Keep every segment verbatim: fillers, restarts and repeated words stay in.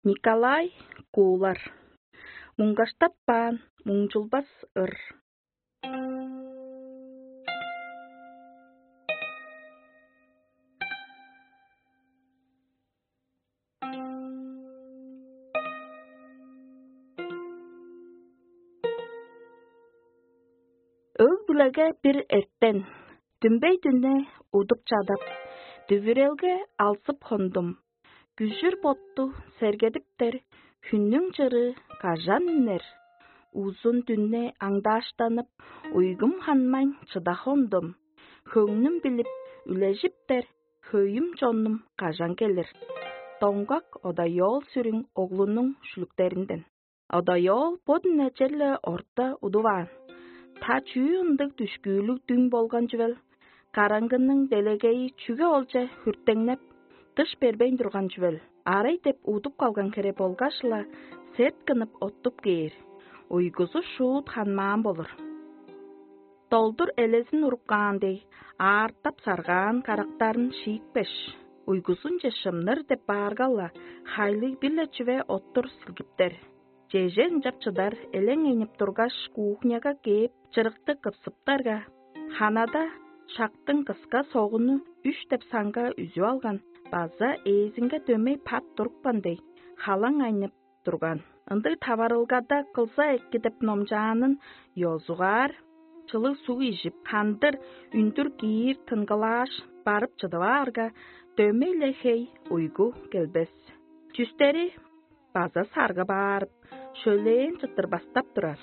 Николай Куулар. Муңгаштаппаан муңчулбас ыр. Өг-бүлеге бир эртен, дүмбей дүнне удуп чадап, дүвүрелге алзып хондум. Күжүр ботту сергедиптер, хүннүң чырыы кажан үнер? Узун дүнне аңдааштанып, уйгум ханмайн чыда хондум. Хөңнүм билип, үлежиптер, хөйүм чоннум кажан келир? Доңгак одаёол сүрүң оглунуң шүлүктеринден. Одаёол бодун эчерле орта удуваан. Та чүү ындыг дүшкүүлүг дүң болган чүвел? Караңгының делегейи чүге олче хүртеңнеп, дыш бербейн турган чүвел? Арай деп удуп калган хере болгаш-ла, сет кынып оттуп кээр. Уйгузу шуут ханмаан болур. Долдур элезин уруп каан дег, аартап саргаан карактарын шиикпеш, уйгузунче шымныр деп баарга-ла, хайлыг бир-ле чүве оттур силгиптер. Чеже ынчап чыдар элең энип тургаш, кухняга кээп, чырыкты кыпсыптарга, ханада шактың кыска согуну үш деп санга үзүп алган база ээзинге дөмей пат турупкан дег, халаң айнып турган. Ындыг таварылгада кылза эки деп номчаанын ёзугаар, чылыг суг ижип, хандыр үндүр киир тынгылааш, барып чыдып аарга, дөмей-ле хей уйгу келбес. Чүстери база саргып аарып, шөлээн чыттыр бастап турар.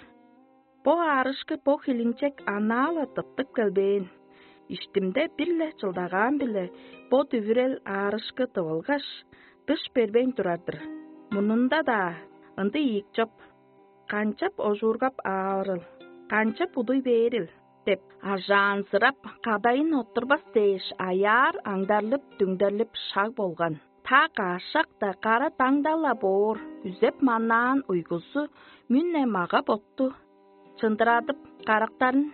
Бо аарышкы бо хилинчек анаа-ла тыптып келбээн. Иштимде бир-ле чылдагаан-биле бо дүвүрел аарышкы тывылгаш, дыш бербейн турар-дыр. Мунунда-даа ындыг ийик чоп. Канчап ожуургап аарыл, канчап удуй бээрил деп, ажаанзырап, кадайын оттурбас дээш, аяар аңдарлып-дүңдерлип шаг болган. Та каашак-даа кара даңда-ла боор, үзеп-манаан уйгузу мүне мага-ботту чындырадып, карактарын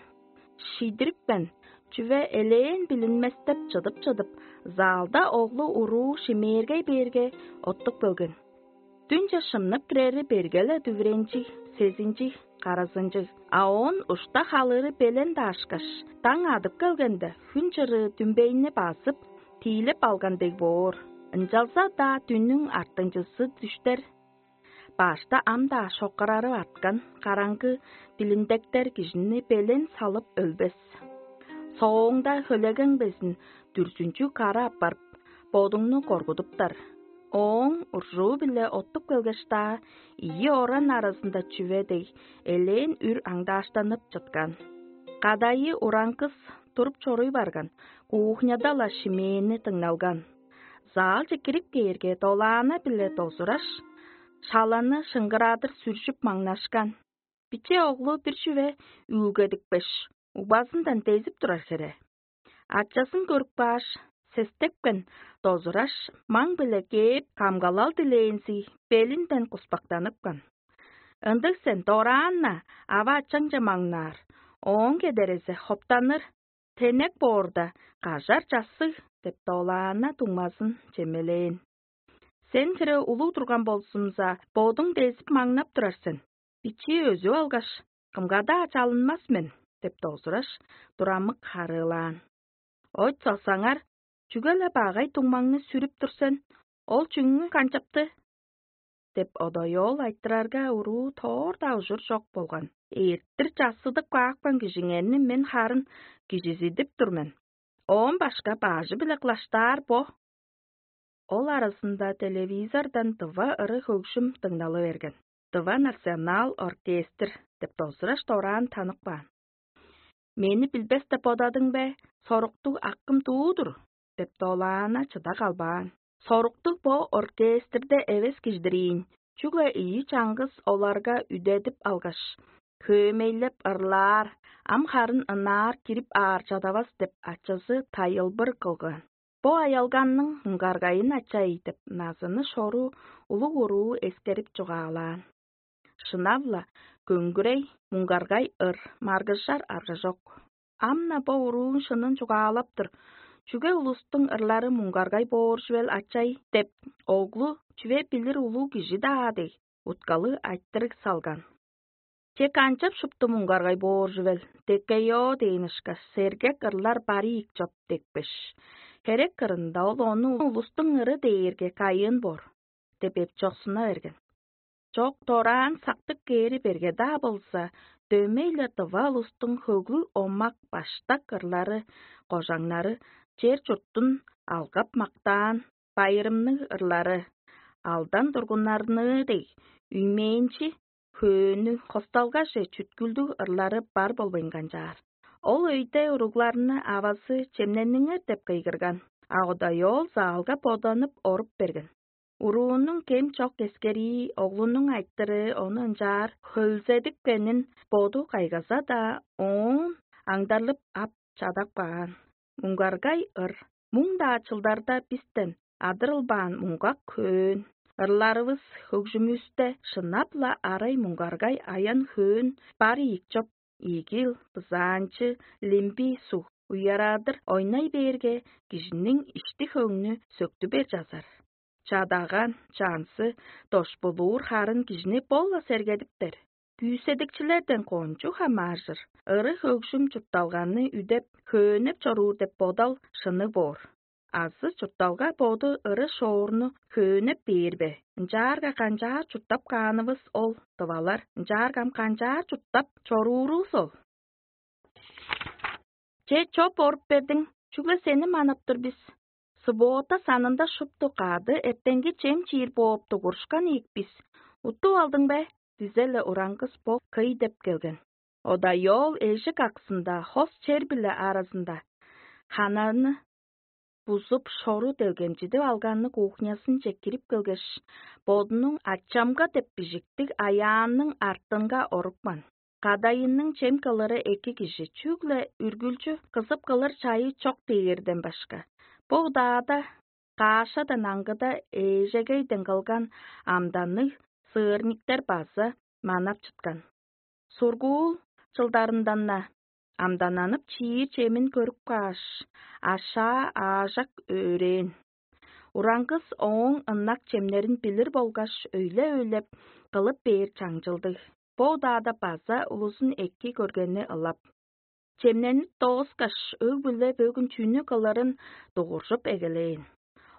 шиидирипкен, чүве элээн билинместеп чыдып-чыдып, залда оглу уруу шимээргей бээрге, оттуп келген. Дүнче шымнып кирери берге-ле дүвүренчиг, сезинчиг, каразынчыг, а оон ушта халыыры белен даашкаш, даң адып келгенде, хүн чырыы дүмбейни базып, тиилеп алган дег боор. Ынчалза-даа дүннүң артынчызы дүштер. Башта ам-даа шоккарарып арткан караңгы билиндектер кижини белен салып өлбес. Соонда хөлегең безин дүрзүнчү кара аппарып, бодуңну коргудуптар. Ооң уржуу-биле оттуп келгеш-даа, ийи оран аразында чүве дег, элээн үр аңдааштанып чыткан. Кадайы ураңгыс туруп чоруй барган, кухняда-ла шимээни дыңналган. Заалче кирип кээрге, долаана-биле дозураш, шаланы шыңгырадыр сүржүп маңнашкан. Биче оглу бир чүве үүлгедипкеш, угбазындан дезип турар хере. Ачазын көрүп кааш, сестепкен дозураш, маң-биле кээп, камгалал дилээнзи белинден куспактаныпкан. «Ындыг сен, дораан-на ава-ачаңче маңнаар, ооң кедерезе хоптаныр, тенек боорда, кажар чассыг» — деп, долаана дуңмазын чемелээн. «Сен хире улуг турган болзумза, бодуң дезип маңнап турар сен. Бичии өзүп алгаш, кымга-даа чалынмас мен» — деп дозураш, турамык харыылаан. «Ойт соксаңар, чүге-ле багай дуңмаңны сүрүп тур сен? Ол чүңү канчапты?» — деп, одоёол айтырарга, уруу тоор-даа ужур чок болган. «Эрттир чассыдып каапкан кижиңерни мен харын кижизидип тур мен. Оон башка баажы-биле кылаштаар бо». Ол аразында телевизордан тыва ыры-хөгжүм дыңналы берген. «Тыва национал оркестр» — деп, дозураш дораан танып каан. «Мени билбес деп бодадың бе? Соруктуг акым дуу-дур» — деп, долаана чыда калбаан. «Соруктуг бо оркестрде эвес кижидир ийин, чүгле ийи чаңгыс оларга үдедип алгаш, хөөмейлеп ырлаар, ам харын ынаар кирип аар чадавас» — деп, ачазы тайылбыр кылган. «Бо аялганның муңгаргайын ачай» — деп, назыны шору улуг уруу эскерип чугаалаан. Шынап-ла, көңгүрей, муңгаргай ыр, маргыжар арга чок. Ам-на бо урууң шынын чугаалап тур, Чүге улустуң ырлары муңгаргай боор чүвел ачай?» — деп, оглу чүве билир улуг кижи-даа дег, уткалыг айтырыг салган. «Че канчап шупту муңгаргай боор чүвел, деккейоо дээн ышкаш, сергек ырлар бари ийик чоп декпеш. Херек кырында ол ону улустуң ыры дээрге кайыын боор» — деп эпчоксуна берген. Чок, дораан сактык кээри берге-даа болза, дөмей-ле дыва улустуң хөглүг омак баштак ырлары, кожаңнары, чер-чурттун алгап-мактаан, байырымныг ырлары, алдан тургуннарныы дег, үймээнчи хөөннүг, хосталгаже чүткүлдүг ырлары бар болбайн канчаар. Ол өйде уругларны авазы чемнениңер деп кыйгырган, а одаёол заалга боданып оруп берген. Уруунуң кем чок эскерии, оглунуң айтырыы ону ынчаар хөлзедипкенин боду кайгаза-даа, оон аңдарлып ап чадап каан. Муңгаргай ыр. Муң-даа чылдарда бистен адырылбаан муңгак хөөн. Ырларывыс хөгжүмүвүсте шынап-ла арай муңгаргай аян хөөн бар ийик чоп, ийгил, бызаанчы, лимби суг уярадыр ойнай бээрге, кижиниң ишти-хөңнү сөктү бер чазар. Чадаган, чансы, дошпулуур харын кижини бо-ла сергедиптер. Күүседикчилерден кончуг хамааржыр, ыры-хөгжүм чуртталганы үдеп, хөөнеп чоруур деп бодал шынныг боор. Азы чуртталга боду ыры-шоорну хөөнеп бээр бе? Ынчаарга канчаар чурттап каанывыс ол, тывалар? Ынчаарга ам канчаар чурттап чоруурувус ол? Че, чоп оруп бердиң, чүгле сени манап тур бис. Суббота санында шупту кады эртенги чем чиир бооп дугурушкан ийик бис. Уттуп алдың бе? — дизе-ле ураңгыс бо кый деп келген. Одаёол эжик аксында, хос чер-биле аразында хананы бузуп, шору делгемчидип алганныг кухнясынче кирип келгеш, бодунуң «Ачамга» деп бижиктиг аяанның артынга орупкан. Кадайынның чем кылыры эки кижи, чүгле үргүлчү кызып кылыр чайы чок дээрден башка. Бо удаада каашадан аңгыда эжегейден кылган амданныг сыырниктер база манап чыткан. Сургуул чылдарындан-на амдананып чиир чемин көрүп кааш, ашаа аажак өөрээн. Ураңгыс ооң ынак чемнерин билир болгаш, өйле-өйлеп кылып бээр чаңчылдыг. Бо удаада база улузун эки көргени ылап. Чемненип дооскаш, өг-бүле бөгүн чүнү кылырын дугуржуп эгелээн.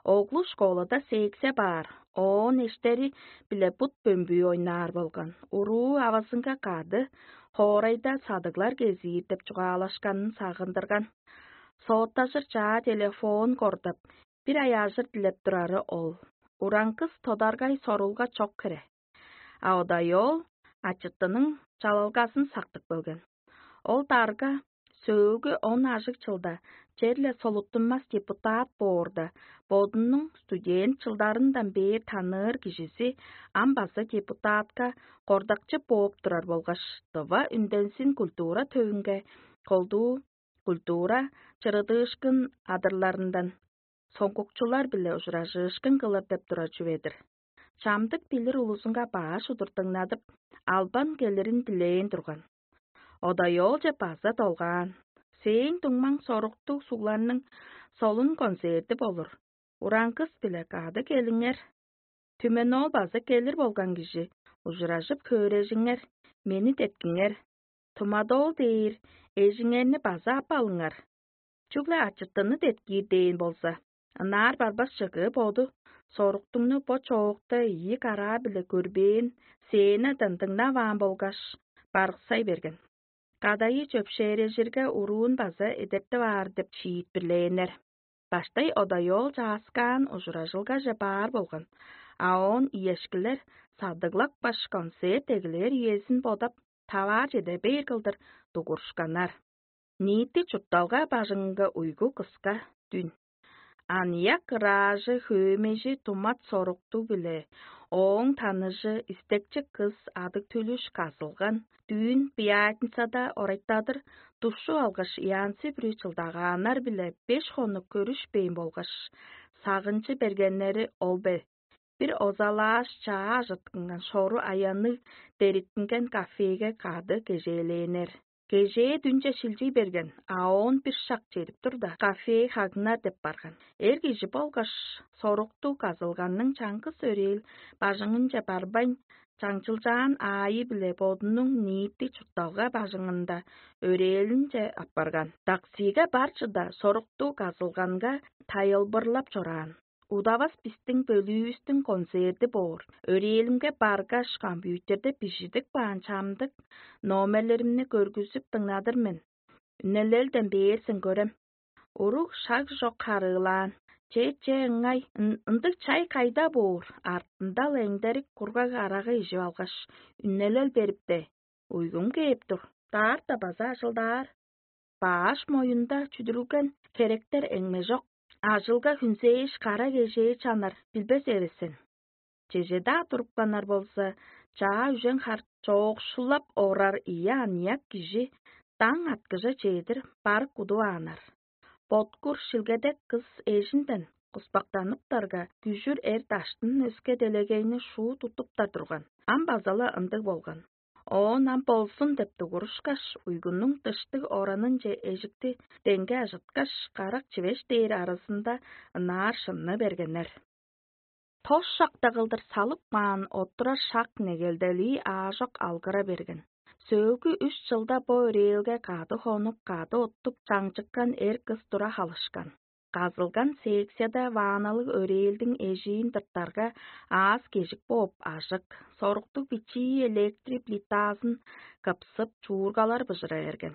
Оглу школада сээксе баар, оон эштери-биле бут бөмбүү ойнаар болган. Уруу авазынга кады хоорайда садыглар кезиир деп чугаалашканын сагындырган. Сооттажыр чаа телефон кордап, бир аяажыр дилеп турары ол. Ураңгыс тодаргай сорулга чок хире. А одаёол ачыттының чалалгазын сактып келген. Ол дарга сөөлгү он ажыг чылда черле солуттунмас депутат боорда, бодунуң студент чылдарындан бээр таныыр кижизи ам база депутатка кордакчы бооп турар болгаш, тыва үндензин культура төвүнге колдуу культура чырыдыышкын адырларындан соңгукчулар-биле ужуражыышкын кылыр деп турар чүве-дир. Чамдык билир улузунга баш удур дыңнадып, албан келирин дилээн турган. Одаёолче база долгаан: «Сээң дуңмаң соруктуг сугларның солун концерти болур. Ураңгыс-биле кады келиңер. Түменоол база келир болган кижи, ужуражып хөөрежиңер, мени деткиңер. Тумадоол дээр эжиңерни база ап алыңар. Чүгле ачыттыны деткиир дээн болза». Ынаар барбас чыгыы боду соруктуңну бо чоокта ийи караа-биле көрбээн, сценадан дыңнаваан болгаш, барыксай берген. Кадайы чөпшээрежирге уруун база эдертип аар деп шиитпирлээннер. Баштай одаёол чааскаан ужуражылгаже баар болган, а оон иешкилер садыглапкаш, концерт эгелээр үезин бодап, таваар чеде бээр кылдыр дугурушканнар. Ниити чуртталга бажыңынга уйгу кыска дүн. Аныяк ыраажы хөөмейжи тумат соруктуг-биле ооң таныжы истекчи кыс адыг-түлүш казылган. Дүүн пятницада орайтадыр душчуп алгаш, янзы-бүрү чылдагааннар-биле беш хонук көрүшпээн болгаш, сагынчы бергеннери ол бе? Бир озалааш чаа ажыткынган шору аянныг дериттинген кафеге кады кежээлээннер. Кежээ дүнче шилчий берген, а оон бир шак чедип турда, кафе хагнар деп барган. Эр кижи болгаш соруктуг казылганның чаңгыс өрээл бажыңынче барбайн, чаңчылчаан аайы-биле бодунуң ниити чуртталга бажыңында өрээлинче апарган. Таксиге бар чыда соруктуг казылганга тайылбырлап чораан. Удавас бистиң бөлүүвүстүң концерти боор. Өрээлимге баргаш, компьютерде бижидип каан чамдык номерлеримни көргүзүп дыңнадыр мен. Үнелелден бээр сен көрем. Уруг шаг чок харыылаан. Че-че ыңай, ындыг чай кайда боор? Артында-ла эңдерик кургаг арага ижип алгаш, үнелел берипте. Уйгум кээп тур. Даарта база ажылдаар. Баш моюнда чүдүрүлген херектер эңмежок. Ажылга хүнзээш кара кежээ чанар билбес эвесен. Чеже-даа туруп канар болза, чаа үжен хар чоокшулап орар ийи аныяк кижи даң аткыжа чедир барык удувааннар. Боткур шилгедек кыс эжинден куспактаныптарга, күжүр эр даштын өске делегейни шуут уттуптар турган. Ам база-ла ындыг болган. Оон ам болзун деп дугурушкаш, уйгунуң дыштыг оранынче эжикти деңге ажыткаш, карак чивеш дээр арызында ынаар шынны бергеннер. Тос шакта кылдыр салып каан оттурар шак негелделии аажок алгыра берген. Сөөлгү үш чылда бо өрээлге кады хонуп, кады оттуп чаңчыккан эр кыс тура халышкан. Казылган секцияда ванналыг өрээлдиң эжиин тыртарга, аас-кежик бооп ажык, соруктуг бичии электри плитазын кыпсып, чуургалар быжыра берген.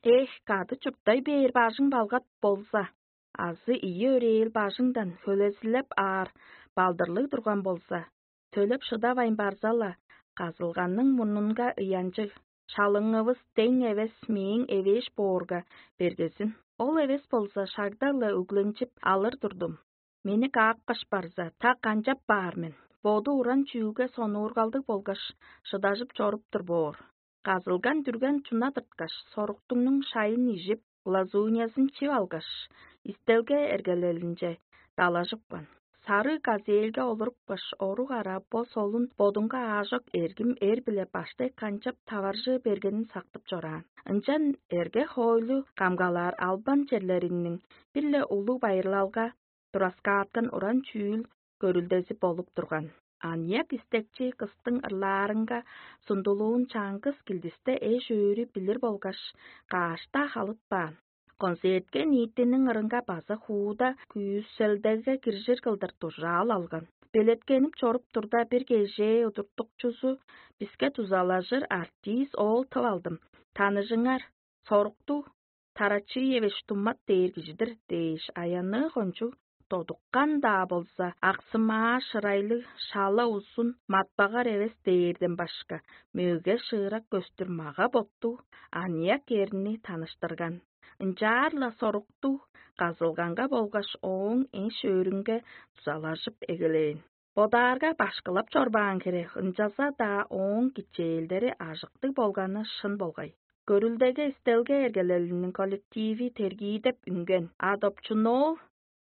Эх, кады чурттай бээр бажың балгат болза, азы ийи өрээл бажыңдан хөлезилеп аар балдырлыг турган болза, төлеп шыдавайн барза-ла, казылганның мурнунга ыянчыг, шалыңывыс дең эвес мээң эвээш боорга бергезин. Ол эвес болза, шагда-ла өгленчип алыр турдум. Мени каапкаш барза, та канчап баар мен? Боду уран чүүлге сонуургалдыг болгаш, шыдажып чоруп тур боор. Казылган дүрген чуна тырткаш, соруктуңнуң шайын ижип, глазуньязын чип алгаш, истелге эргелелинче далажыпкан. Сарыг газельге олурупкаш, орук ара бо солун бодунга аажок эргим эр-биле баштай канчап таваржы бергенин сактып чораан. Ынчан эрге хоойлу камгалаар албан черлериниң бир-ле улуг байырлалга тураскааткан уран чүүл көрүлдези болуп турган. Аныяк истекчи кыстың ырлаарынга сундулуун чаңгыс килдисте эш-өөрү билир болгаш, каашта халытпаан. Концертке ниитиниң ырынга база хууда күүселдеге киржир кылдыр дужаал алган. Белеткенип чоруп турда, бир кежээ удуртукчузу биске дузалажыр артист оол тып алдым. Таныжыңар, соруктуг Тарачиевич Туммат дээр кижи-дир дээш, аянныы кончуг додуккан-даа болза, аксымаа шырайлыг, шала узун, матпагар эвес дээрден башка, мөге шыырак көстүр мага-боттуг аныяк эрни таныштырган. Ынчаар-ла соруктуг казылганга болгаш ооң эш-өөрүнге дузалажып эгелээн. Бодаарга, башкылап чорбаан хире, ынчалза-даа ооң кичээлдери ажыктыг болганы шын болгай. Көрүлдеге истелге эргелелиниң коллективи тергиидеп үнген, а допчуноол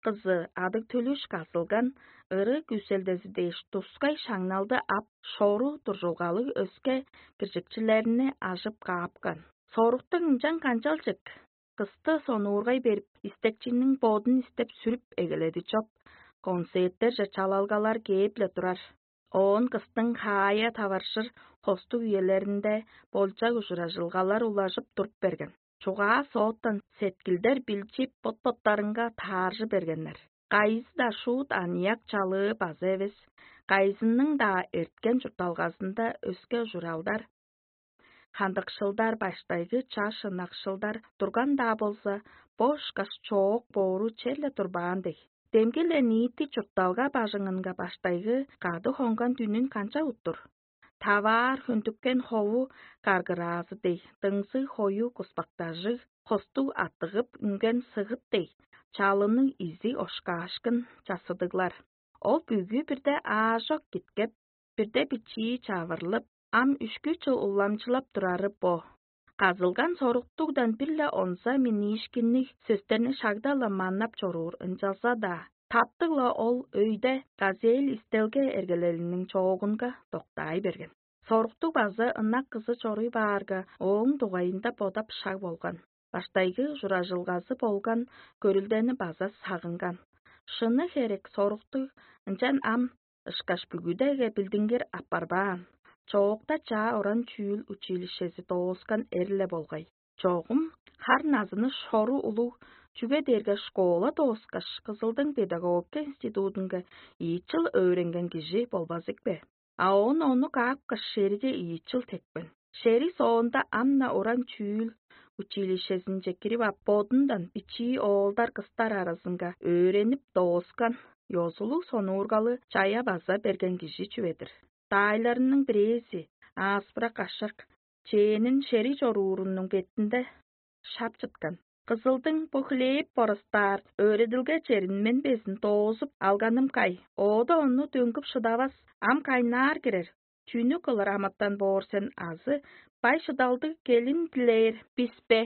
кызы адыг-төлүш казылган ыры күүселдези дээш тускай шаңналды ап, шору дуржулгалыг өске киржикчилерни ажып каапкан. Соруктуг ынчан канчалчык кысты сонуургай берип, истекчиниң бодун истеп сүрүп эгеледи чоп. Концерттерже чалалгалар кээп-ле турар. Оон кыстың хаая таваржыр хостуг үелеринде болчак ужуражылгалар улажып туруп берген. Чугаа сооттан сеткилдер билчип, бот-боттарынга тааржы бергеннер. Кайызы-даа шуут аныяк чалыы база эвес, кайызының-даа эрткен чуртталгазында өске ужуралдар, хандыкшылдар, баштайгы чаш ынакшылдар турган-даа болза, бо ышкаш чоок боору черле турбаан дег. Демги-ле ниити чуртталга бажыңынга баштайгы кады хонган дүнүн канчап уттур? Таваар хөндүккен хову каргыраазы дег, дыңзыг хою куспактажыг, хостуг аттыгып үнген сыгыт дег, чалының изи ошкаашкын чассыдыглар. Ол бүгү бирде аажок киткеп, бирде бичии чавырлып, ам үшкү чыл уламчылап турары бо. Казылган соруктугдан бир-ле онза миниишкинниг сөстерни шагда-ла маннап чоруур, ынчалза-даа таптыг-ла ол өйде газель истелге эргелелиниң чоогунга доктаай берген. Соруктуг база ынак кызы чоруй баарга, ооң дугайында бодап шаг болган. Баштайгы ужуражылгазы болган көрүлдени база сагынган. Шыны херек, соруктуг ынчан ам ышкаш бүгүдеге билдингир апарбаан. Чоокта чаа оран чүүл училищези дооскан эрле болгай. Чогум хар назыны шору улуг, чүге дээрге школа дооскаш, Кызылдың педагогика институтунга ийи чыл өөренген кижи болбазык бе? А оон ону каапкаш, шериже ийи чыл тепкен. Шери соонда ам-на уран чүүл училищезинче кирип ап, бодундан бичии оолдар-кыстар аразынга өөренип дооскан, ёзулуг сонуургалы чая база берген кижи чүве-дир. Даайларының бирээзи, ааспырак ашак, чээнин шерий чоруурунуң бетинде шап чыткан. Кызылдың бо хлеб боростаар өөредилге черин мен безин доозуп алганым кай? Оода ону дөңгүп шыдавас, ам кайнаар кирер. Чүнү кылыр амытан боор сен азы бай шыдалдыг келин дилээр бис бе?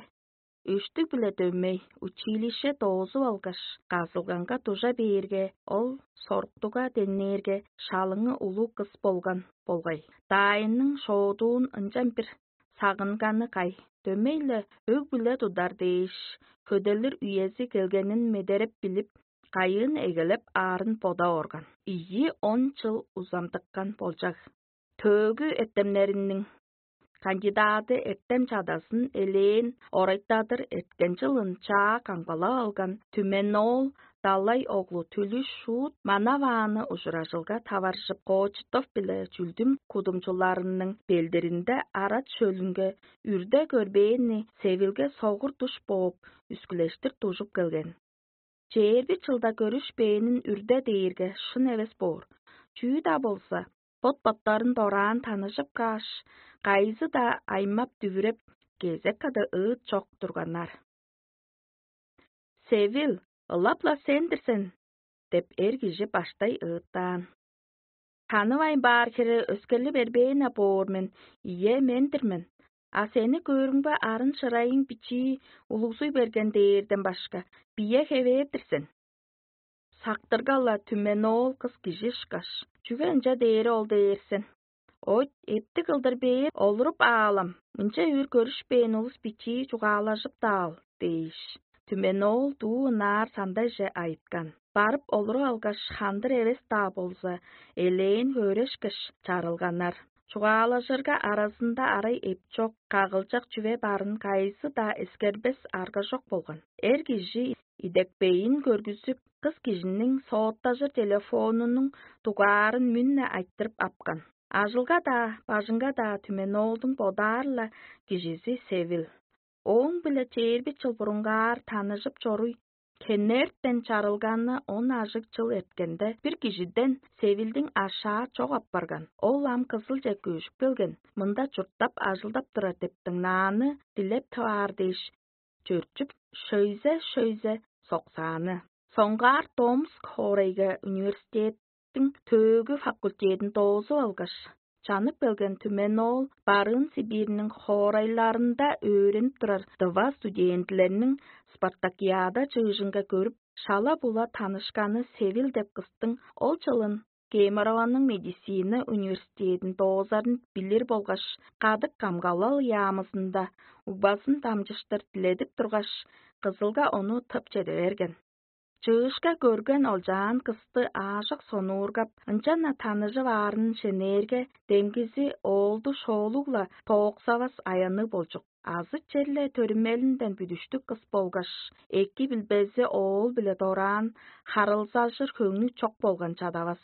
Үштүг-биле дөмей училище доозуп алгаш, казылганга дужа бээрге, ол соруктуга деңнээрге, шалыңы улуг кыс болган болгай. Даайының шоодуун ынчан бир сагынганы кай? Дөмей-ле өг-бүле тудар дээш, хөделир үези келгенин медереп билип, кайыын эгелеп аарын бода орган. Ийи он чыл узамдыккан болчаг. Төөгү эртемнериниң кандидаты эртем чадазын элээн орайтадыр эрткен чылын чаа камгалап алган Түмен-оол Далай оглу Түлүш шуут манавааны ужуражылга таваржып, Кочетов биле Чүлдүм кудумчуларының белдиринде Арат шөлүнге үрде көрбээни Севилге согур душ бооп, үскүлештир дужуп келген. Чээрби чылда көрүшпээнин үрде дээрге шын эвес боор. Чүү-даа болза, бот-боттарын дораан таныжып кааш, кайызы-даа аймап-дүвүреп, кезек када ыыт чок турганнар. «Севил, ылап-ла сен-дир сен» – деп, эр кижи баштай ыыттаан. «Танывайн баар хире өскели бербээн-не боор мен, ийе, мен-дир мен. А сени көөрүмге, арын-шырайың бичии улугзуй берген дээрден башка, бие хевээр-дир сен. Сактырга-ла Түмен-оол кыс кижи ышкаш, чүге ынча дээри ол дээр сен? Ой, эптиг кылдыр бээр олуруп аалам, мынча үр көрүшпээн улус бичии чугаалажып-даал» – дээш, Түмен-оол дуу ынаар сандайже айыткан. Барып олуруп алгаш, хандыр эвес-даа болза, элээн хөөрешкеш, чарылганнар. Чугаалажырга аразында арай эпчок, кагылчак чүве барын кайызы-даа эскербес аргажок болган. Эр кижи идепкейин көргүзүп, кыс кижиниң сооттажыр телефонунуң дугаарын мүн-не айтырып апкан. Ажылга-даа, бажыңга-даа Түмен-оолдуң бодаар-ла кижизи Севил. Ооң-биле чээрби чыл бурунгаар таныжып чоруй, хенертен чарылганы он ажыг чыл эрткенде, бир кижиден Севилдиң ашаа чок апарган. Ол ам Кызылче көжүп келген, мында чурттап, ажылдап турар деп дыңнааны дилеп тываар дээш, чөрчүп, шөйзе-шөйзе соксааны. Соңгаар Томск хоорайга университеттиң төөгү факультедин доозуп алгаш, чанып келген Түмен-оол Барыын Сибирьниң хоорайларында өөренип турар тыва студентилерниң спартакиада чыыжынга көрүп, шала-була танышканы Севил деп кыстың ол чылын Кемерованың медицина университедин доозарын билир болгаш, кадык камгалал яамызында угбазын дамчыштыр диледип тургаш, Кызылга ону тып чеде берген. Чыышка көрген олчаан кысты аажок сонуургап, ынчан-на таныжып аарын шенээрге, демгизи оолду шоолуг-ла тооксавас аянныг болчук. Азы черле төрүмелинден бүдүштүг кыс болгаш, эки билбези оол-биле дораан харылзажыр хөңнү чок болган чадавас.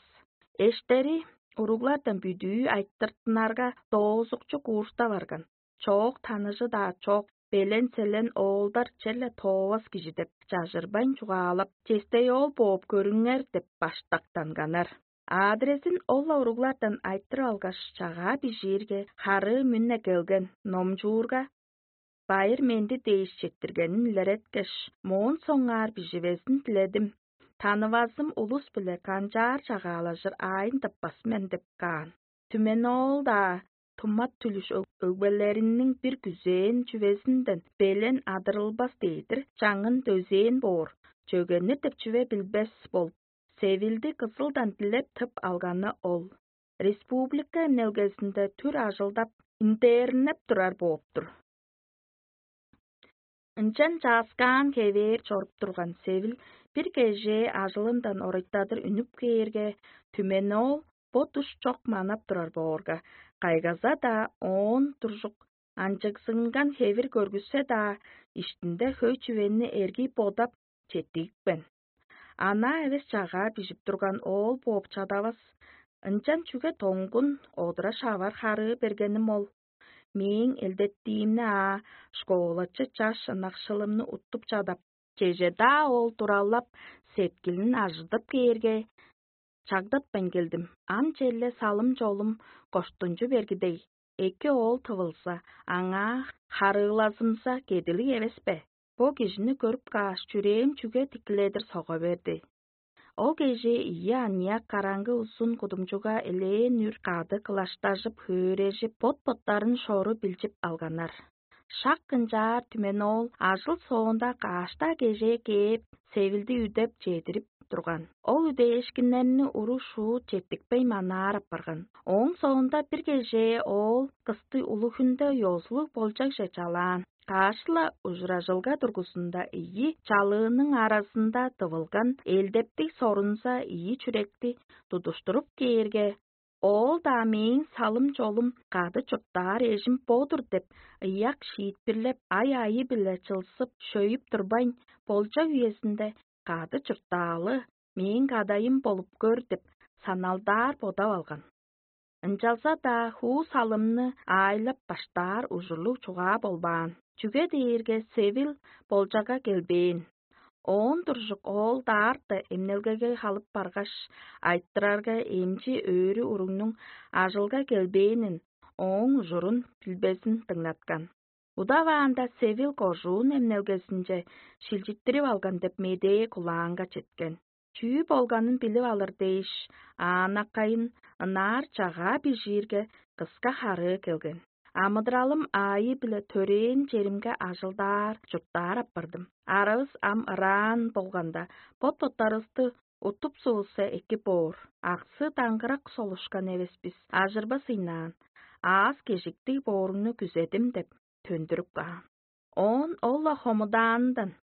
Эштери уруглардан бүдүү айтыртынарга, доозукчу курста барган. Чоок таныжы-даа чок, белен-селен оолдар черле тоовас кижи деп, чажырбайн чугаалап, честей-оол бооп көрүңер деп баштактанганнар. Адрезин ол-ла уруглардан айтырып алгаш, чагаа бижиирге, харыы мүн-не келген, номчуурга, байыр-менди дээш четтиргенин илереткеш, моон соңгаар биживезин диледим. Танывазым улус-биле канчаар чагаалажыр аайын тыппас мен деп каан. Түмен-оол-даа тумат-түлүш өг-, өгбелериниң бир күзээн чүвезинден белен адырылбас дээдир, чаңын дөзээн боор, чөгеннер деп чүве билбес болуп, Севилди Кызылдан дилеп тып алганы ол. республика эмнелгезинде түр ажылдап, интернеп турар бооп-тур. Ынчан чааскаан хевээр чоруп турган Севил бир кежээ ажылындан орайтадыр үнүп кээрге, түмени ол бо душ чок манап турар боорга, кайгаза-даа оон туржук анчыгзынган хевир көргүссе-даа, иштинде хөй чүвени эргий бодап, четтигипкен. Анаа эвес чагаа бижип турган оол бооп чадавас, ынчан чүге доңгун одура шавар харыы бергеним ол? Мээң элдеттиимни аа, школачы чаш ынакшылымны уттуп чадап, чеже-даа ол туралап, сеткилин ажыдып кээрге, чагдатпайн келдим. Ам черле салым-чолум коштунчу бергидей, эки оол тывылза, аңаа харыылазымза кедилиг эвес бе? Бо кижини көрүп кааш, чүрээм чүге тикиледир сога берди? Ол кежээ ийи аныяк караңгы узун кудумчуга элээн үр кады кылаштажып, хөөрежип, бот-боттарын шору билчип алганнар. Шак ынчаар түмени ол ажыл соонда кааш-даа кежээ кээп, Севилди үдеп чедирип турган. Ол үдээшкиннерни уру-шуут четтикпей манаар апарган. Ооң соонда бир кежээ оол кысты улуг хүнде ёзулуг болчагже чалаан. Каш-ла ужуражылга дургузунда ийи чалыының аразында дывылган элдептиг сорунза ийи чүректи тудуштуруп кээрге, оол-даа мээң салым-чолум кады чурттаар эжим бо-дур деп, ыяк шиитпирлеп, ай-айы-биле чылзып, шөйүп турбайн, болчак үезинде кады чурттаалы, мээң кадайым болуп көр деп, саналдаар бодап алган. Ынчалза-даа хуу салымны аайлап баштаар ужурлуг чугаа болбаан, чүге дээрге Севил болчага келбээн. Оон туржук оол даарта эмнелгеге халып баргаш, айтырарга эмчи өрү уругнуң ажылга келбээнин, ооң ужурун билбезин дыңнаткан. Удаваанда Севил кожуун эмнелгезинче шилчиттирип алган деп медээ кулаанга четкен. Чүү болганын билип алыр дээш, аанаккайын ынаар чагаа бижиирге, кыска харыы келген. Амыдыралым аайы-биле төрээн черимге ажылдаар, чурттаар апардым. Аравыс ам ыраан болганда, бот-боттарывысты утуп сывылса эки боор. Аксы даңгырак солушкан эвес бис, ажырбас ыйнаан. Аас кежиктиг бооруңну күзедим деп төндүрүп каан. Оон ол-ла хомудаанындан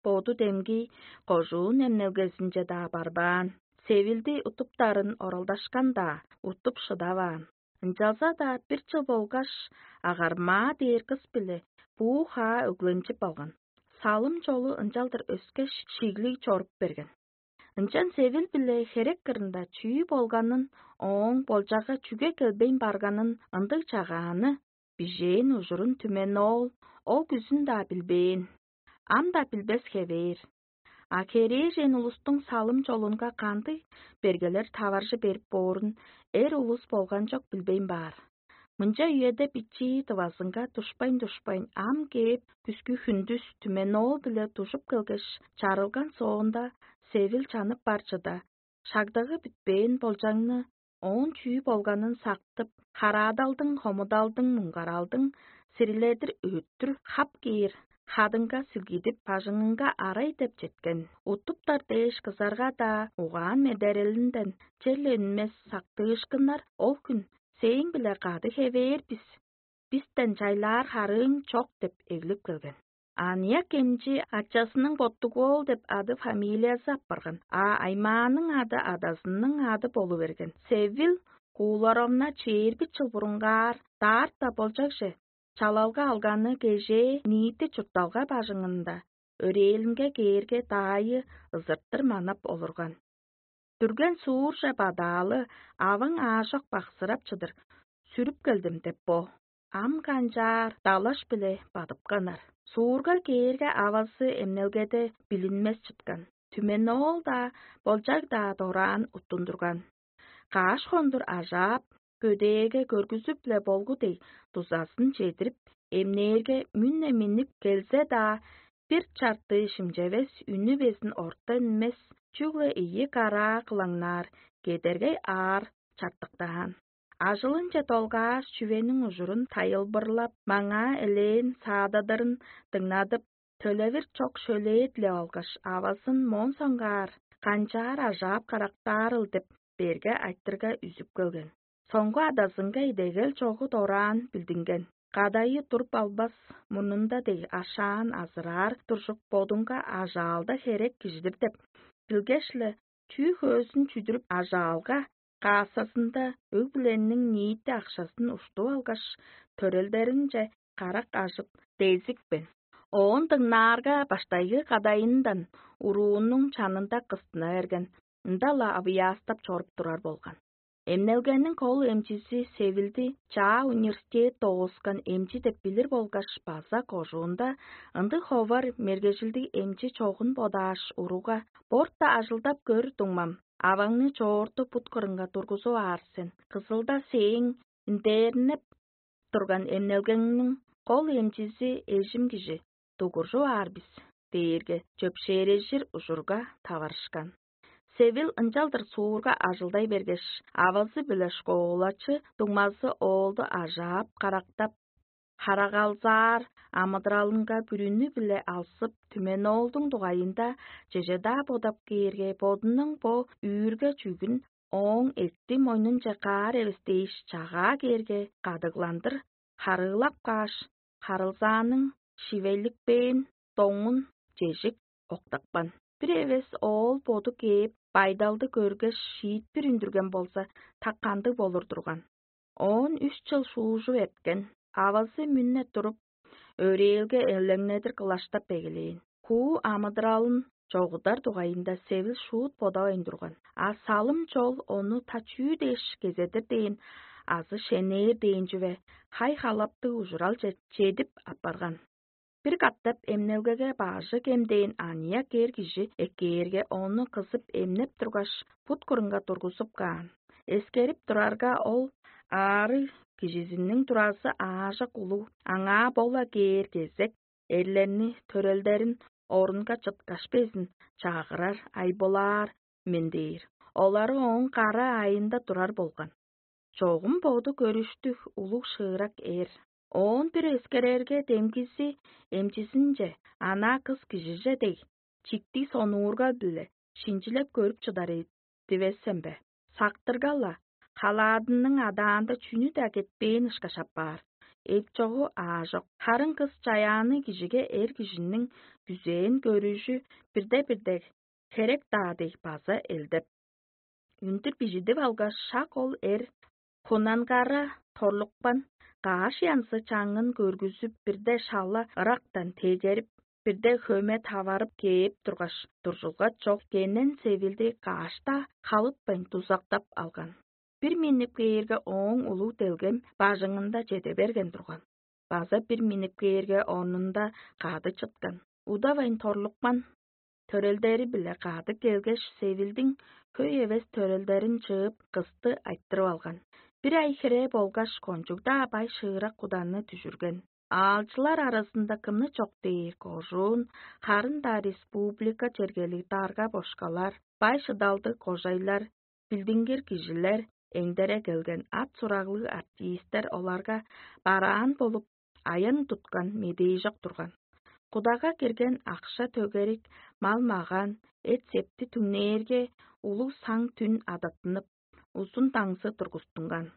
боду демги кожуун эмнелгезинче-даа барбаан, Севилди утуптарын оралдашкан-даа, утуп шыдаваан. Ынчалза-даа бир чыл болгаш агармаа дээр кыс-биле буу-хаа өгленчип алган. Салым-чолу ынчалдыр өскеш, шиглиг чоруп берген. Ынчан Севил-биле херек кырында чүү болганын, ооң болчага чүге келбейн барганын, ындыг чагааны бижээн ужурун түмени ол, ол күзүн-даа билбээн, ам-даа билбес хевээр. А херээжен улустуң салым-чолунга кандыг бергелер таваржы берип боорун эр улус болган чок билбейн баар. Мынча үеде бичии дывазынга душпайн-душпайн ам кээп, күскү хүндүс түмени ол-биле дужуп келгеш, чарылган соонда, Севил чанып бар чыда, шагдагы бүтпээн болчаңны, оон чүү болганын сактып, хараадалдың, хомудалдың, муңгаралдың сириледир өттүр хап кээр хадыңга силгидип, бажыңынга арай деп четкен. Утуптар дээш кызарга-даа угаан медерелинден черле үнмес сактыышкыннар ол хүн сээң-биле кады хевээр бис, бистен чайлаар харыың чок деп эглип келген. Аныяк эмчи ачазының Боттуг-оол деп ады-фамилиязы апарган, а аймааның ады адазының ады болу берген. Севил Кууларовна чээрби чыл бурунгаар даарта болчакче чалалга алганы кежээ ниити чуртталга бажыңында өрээлинге кээрге даайы ызыртыр манап олурган. Дүрген суурже бадаалы аваң аажок баксырап чыдыр, сүрүп келдим деп бо. Ам канчаар далаш-биле бадыпканнар. Суурга кээрге авазы эмнелгеде билинмес чыткан. Түмени ол-даа, болчаг-даа дораан уттундурган. Каш хондур ажаап, көдээге көргүзүп-ле болгу дег дузазын чедирип, эмнээрге мүн-не миннип келзе-даа, бир чартыы шимчевес, үнү безин орта үнмес, чүгле ийи караа кылаңнаар, кедергей аар чартыктаан. Ажылынче долгааш, чүвениң ужурун тайылбырлап, маңаа элээн саададырын дыңнадып, төлевир чок шөлээ дилеп алгаш, авазын моон соңгаар канчаар ажаап карактаарыл деп берге айтырга үзүп келген. Соңгу адазынга идегел чогу дораан билдинген. Кадайы туруп албас, мурнунда дег ашаан азыраар туржук бодунга ажаалда херек кижидир деп билгеш-ле, чүү хөөзүн чүдүрүп ажаалга каассазында өг-бүлениң ниити акшазын уштуп алгаш, төрелдеринче карак ажып, дезипкен. Оон дыңнаарга баштайгы кадайындан уруунуң чанында кыстына берген, ында-ла авыяастап чоруп турар болган. Эмнелгениң кол эмчизи Севилди чаа университет дооскан эмчи деп билир болгаш база кожуунда ындыг ховар мергежилдиг эмчи чогун бодааш, уруга: «Борта ажылдап көр, дуңмам, аваңны чоорту бут кырынга тургузуп аар сен. Кызылда сээң индээринеп турган эмнелгеңниң кол эмчизи эжим кижи, дугуржуп аар бис» дээрге, чөпшээрежир ужурга таварышкан. Севил ынчалдыр суурга ажылдай бергеш, авазы-биле школачы дуңмазы оолду ажаап-карактап, харагалзаар амыдыралынга бүрүнү-биле алзып, түменоолдуң дугайында чеже-даа бодап кээрге, бодунуң бо үүрге чүгүн ооң эътти мойнунче каар эвес дээш, чагаа кээрге, кадыгландыр харыылап кааш, харылзааның шивеликпээн доңун чежик октапкан. Бир эвес оол боду кээп, байдалды көргеш, шиитпир үндүрген болза, так кандыг болур турган? Оон үш чыл шуужуп эрткен, авазы мүне туруп, өрээлге элеңнедир кылаштап эгелээн. Хуу амыдыралын чогудар дугайында Севил шуут бодавайн турган, а салым чол ону та чүү дээш кезедир дээн азы шенээр дээн чүве хай-халаптыг ужуралче чедип апарган. Бир катап эмнелгеге бажы кемдээн аныяк эр кижи эккээрге, ону кызып эмнеп тургаш, бут кырынга тургузуп каан. Эскерип турарга, ол аарыг кижизиниң туразы аажок улуг, аңаа бола кээр кезек эрлерни, төрелдерин орунга чыткаш безин чагырар, айбылаар мен дээр. Олары ооң кара айында турар болган. Чогум боду көрүштүг улуг шыырак эр. Оон бир эскерерге, демгизи эмчизинче: «Анаа кыс кижиже дег, чиктиг сонуургал-биле шинчилеп көрүп чыдар дивес сен бе? Сактырга-ла, халаадының адаанда чүнү-даа кетпээн ышкаш апаар. Эп-чогу аажок. Харын кыс чаяанныг кижиге эр кижиниң күзээн көрүжү бирде-бирде херек-даа дег база элдеп». Үндүр бижидип алгаш, шак ол эр хунангара торлукпан каш янзы чаңын көргүзүп, бирде шала ырактан тегерип, бирде хөме таварып кээп тургаш, дуржулга чок кенен Севилди каш-даа халытпайн дузактап алган. Бир миннип кээрге, ооң улуг делгем бажыңында чеде берген турган. База бир миннип кээрге, орнунда кады чыткан. Удавайн торлукпан төрелдери-биле кады келгеш, Севилдиң хөй эвес төрелдерин чыып, кысты айтырып алган. Бир ай хире болгаш, кончуг-даа бай шыырак куданы дүжүрген. Аалчылар аразында кымны чок дээр, кожуун, харын-даа республика чергелиг дарга-бошкалар, бай шыдалдыг кожайлар, билдингир кижилер, эңдере келген ат-сураглыг артистер оларга бараан болуп, аян туткан медээжок турган. Кудага кирген акша-төгерик, мал-магаан, эт-септи түңнээрге, улуг саң-түн адаттынып, узун даңзы тургустунган.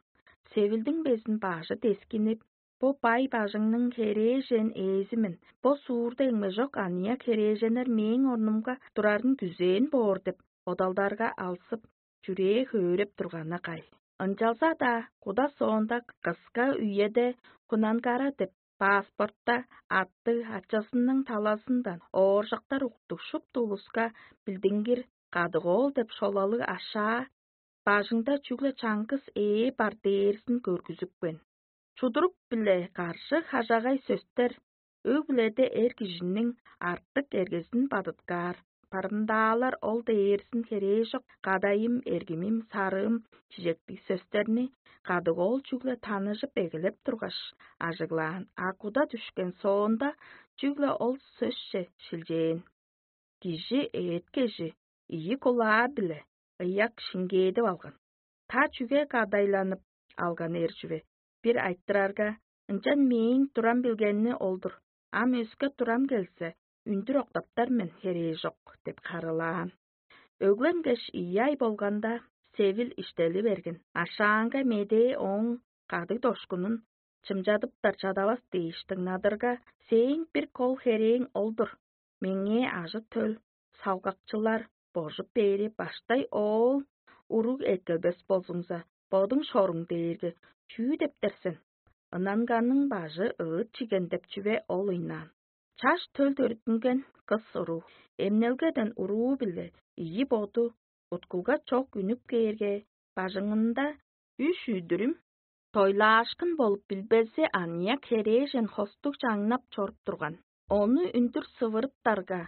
Севилдиң безин бажы дескинип: «Бо бай бажыңның херээжен ээзи мен, бо суурда эңмежок аныяк херээженнер мээң орнумга турарын күзээн боор» деп бодалдарга алзып, чүрээ хөөреп турганы кай. Ынчалза-даа куда соонда кыска үеде Хунангара деп паспортта аттыг, ачазының талазындан ооржактар уктуг шупту улуска билдингир кадык-оол деп шолалыг ашаа бажыңда чүгле чаңгыс ээ бар дээрзин көргүзүпкен. Чудурук-биле каржы хажагай сөстер, өг-бүледе эр кижиниң артык эргезин бадыткаар, барымдаалар ол дээрзин херээжок «кадайым», «эргимим», «сарыым» чижектиг сөстерни кадык-оол чүгле таныжып эгелеп тургаш, ажыглаан, а куда дүшкен соонда чүгле ол сөсче шилчээн. Кижи эът-кежи ийи кулаа-биле ыяк шиңгээдип алган. Та чүге кадайланып алган эр чүве? Бир айтырарга: «Ынчан мээң турам билгени ол-дур. Ам өске турам келзе, үндүр октаптар мен, херээ чок» – деп харыылаан. Өгленгеш ийи ай болганда, Севил иштели берген. Ашаанга медээ ооң кадыг дошкунун чымчадыптар чадавас дээш дыңнадырга, сээң бир кол херээң ол-дур: меңээ ажы-төл салгакчылар божуп бээри баштай оол уруг эккелбес болзуңза, бодуң шоруң дээрге чүү дептер сен? Ынанганның бажы ыыт чиген деп чүве ол ыйнаан. Чаш төл төрүттүнген кыс уруу, эмнелгеден уруу-биле ийи боду уткулга чок үнүп кээрге, бажыңында үш үдүрүм тойлаашкын болуп билбези аныяк херээжен хостуг чаңнап чоруп турган. Ону үндүр сывырыптарга,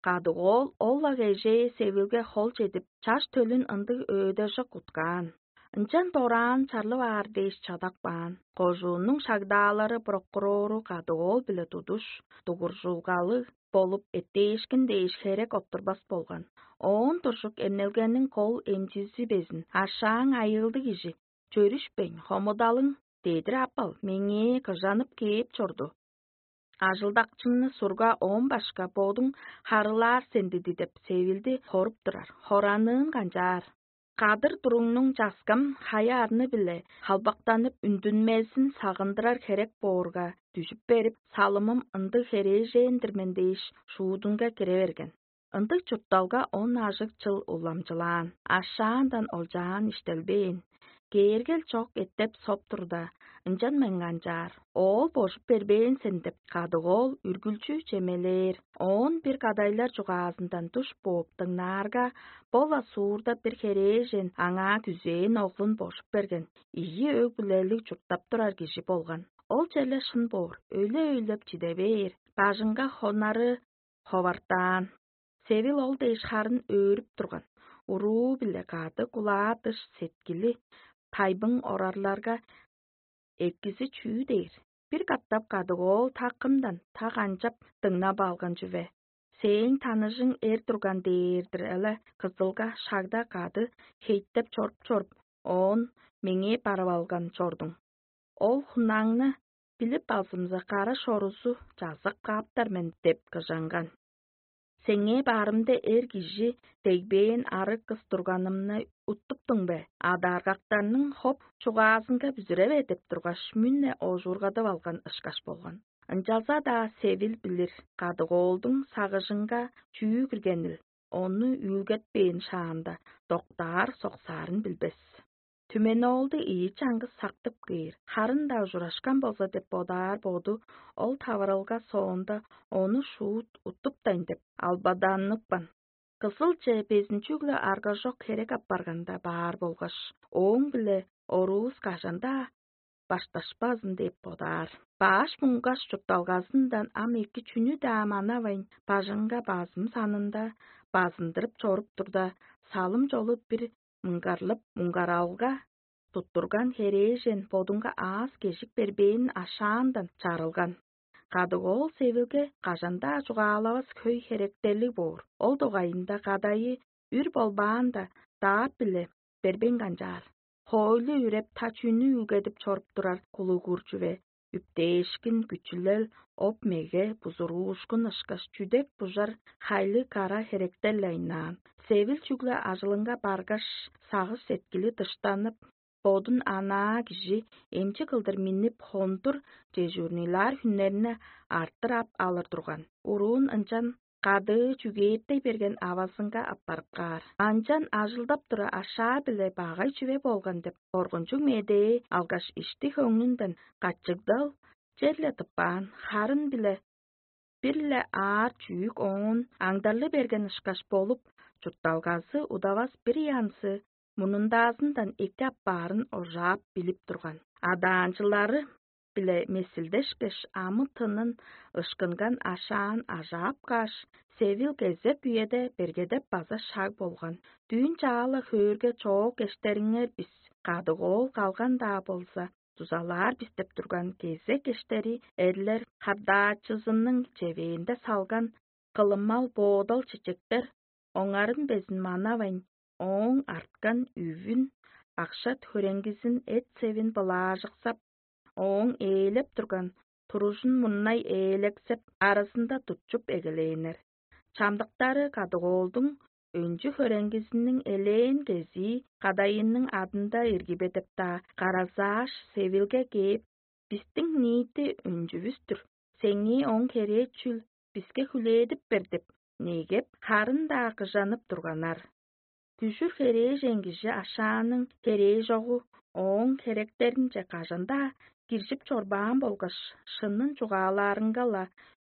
кадык оол ол-ла кежээ Севилге хол чедип, чаш төлүн ындыг өөдежик уткаан. Ынчан дораан чарлып аар дээш чадап каан. Кожууннуң шагдаалары прокурору кадык оол-биле тудуш, дугуржулгалыг болуп, эттээшкин дээш херек оттурбас болган. Оон туржук эмнелгениң кол эмчизи безин ашааң айыылдыг кижи, чөрүшпейн, хомудалың дедир аппал, меңээ кыжанып кээп чорду. Ажылдакчыңны сурга, оон башка бодуң харылаар сен диди деп, Севилди хоруп турар, хораныын канчаар. Кадыр туруңнуң часкам хая арны-биле халбактанып үндүнмезин сагындырар херек боорга, дүжүп берип, салымым ындыг херээжен-дир мен дээш, шуудунга кире берген. Ындыг чуртталга он ажыг чыл уламчылаан, ашаандан олчаан иштелбээн. Кээргел чок эттеп соп турда, ынчан мынганчаар: «Оол божуп бербээн сен» — деп, кадык оол үргүлчү чемелээр. Оон бир кадайлар чугаазындан душ бооп дыңнаарга, бо-ла суурда бир херээжен аңаа күзээн оглун божуп берген, ийи өг-бүлелиг чурттап турар кижи болган. Ол черле шын боор, өйле-өйлеп чиде бээр, бажыңга хонары ховартаан. Севил ол дээш харын өөрүп турган, уруу-биле кады кулаа-дыш сеткили тайбың орарларга, экизи чүү дээр? Бир катап кадык оол такымдан так анчап дыңнап алган чүве. Сээң таныжың эр турган дээр-дир але, кызылга шагда кады хейтеп чоруп-чоруп, оон меңээ барып алган чордуң. Ол хунаңны билип алзымза, кара шорузу чазак кааптар мен деп кыжанган. Сеңээ баарымда эр кижи дегбээн арыг кыс турганымны уттуптуң бе? Адааргактарның хоп чугаазынга бүзүреве деп тургаш, мүн-не ожуургадып алган ышкаш болган. Ынчалза-даа Севил билир, кадык оолдуң сагыжынга чүү киргенил, ону үүлгетпээн шаанда доктаар-соксаарын билбес. Түмени оолду ийи чаңгыс сактып кээр, харын-даа ужурашкан болза деп бодаар боду ол таварылга соонда ону шуут уттуптайн деп албаданныкпан. Кызылче безин чүгле аргажок херек апарганда баар болгаш, ооң-биле оруувус кажан-даа башташпазын деп бодаар. Баш муңгаш чуртталгазындан ам эки чүнү-даа манавайн, бажыңга базым санында базындырып чоруп турда, салым чолу бир муңгарлып, муңгаралга туттурган херээжен бодунга аас-кежик бербээнин ашаандан чарылган. Кадык оол Севилге кажан-даа чугаалавас хөй херектерлиг боор. Ол дугайында кадайы үр болбаанда, даап-биле бербейн канчаар. Хоойлу үреп, та чүнү үүлгедип чоруп турар кулугур чүве, үптээшкин, күчүлел, оп-меге, бузуруушкун ышкаш чүдек-бужар хайлыг кара херектер-ле айнаан. Севил чүгле ажылынга баргаш, сагыш-сеткили дыштанып, бодун анаа кижи эмчи кылдыр миннип, хондур дежурныйлаар хүннерни арттыр ап алыр турган. Уруун ынчан кадыы чүгээттей берген авазынга аппарып каар. Анчан ажылдап тура ашаа-биле багай чүве болган деп коргунчуг медээ алгаш, ишти-хөңнүнден качыгдал черле тыппаан, харын-биле бир-ле аар чүүк оон аңдарлы берген ышкаш болуп, чуртталгазы удавас бир янзы мурнундаазындан эки аппаарын ожаап билип турган. Адаанчылары биле месилдешкеш, амы-тынын ышкынган ашаан ажаап кааш, Севил кезек үеде бергедеп база шаг болган. Дүүн чаала хөөрге чоок эштериңер бис, кадык оол калган-даа болза, дузалаар бис деп турган кезек эштери эрлер хардаачызының чевээнде салган кылымал боодал чечектер оңарын безин манавайн, ооң арткан үвүн, акша-хөреңгизин, эт-севин былаажыксап, ооң ээлеп турган туружун мурнай ээлексеп, аразында тутчуп эгелээннер. Чамдыктары кадык оолдуң өнчү-хөреңгизиниң элээн кезии кадайының адында иргибедеп-даа, каразааш, Севилге кээп: «Бистиң ниити өнчүвүс-түр. Сеңээ ооң херээ чүл, биске хүлээдип бер» — деп негеп, харын-даа кыжанып турганнар. Күжүр херээжен кижи ашааның херээжогу ооң херектеринче кажан-даа киржип чорбаан болгаш, шынын чугаалаарынга-ла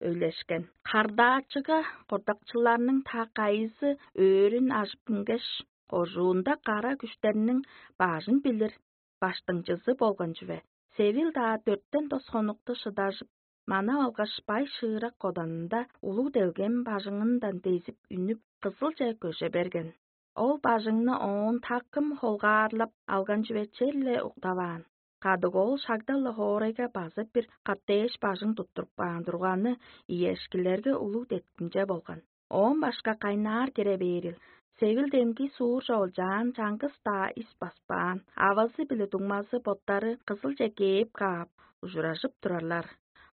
өйлешкен. Хардаачыга кордакчыларның та кайызы өөрүн ажып үнгеш, кожуунда кара күштерниң бажын билир баштыңчызы болган чүве. Севил-даа дөртен тос хонукту шыдажып, манап алгаш, бай шыырак коданында улуг делгем бажыңындан дезип үнүп, Кызылче көже берген. Ол бажыңны оон такым холгаарлап алган чүве черле уктаваан. Кадык ол шагда-ла хоорайга база бир кат дээш бажың туттуруп каан турганы иешкилерге улуг деткимче болган. Оон башка кайнаар кире бээрил, Севил демги суурже олчаан, чаңгыс-даа ис баспаан, авазы биле дуңмазы боттары Кызылче кээп каап, ужуражып турарлар.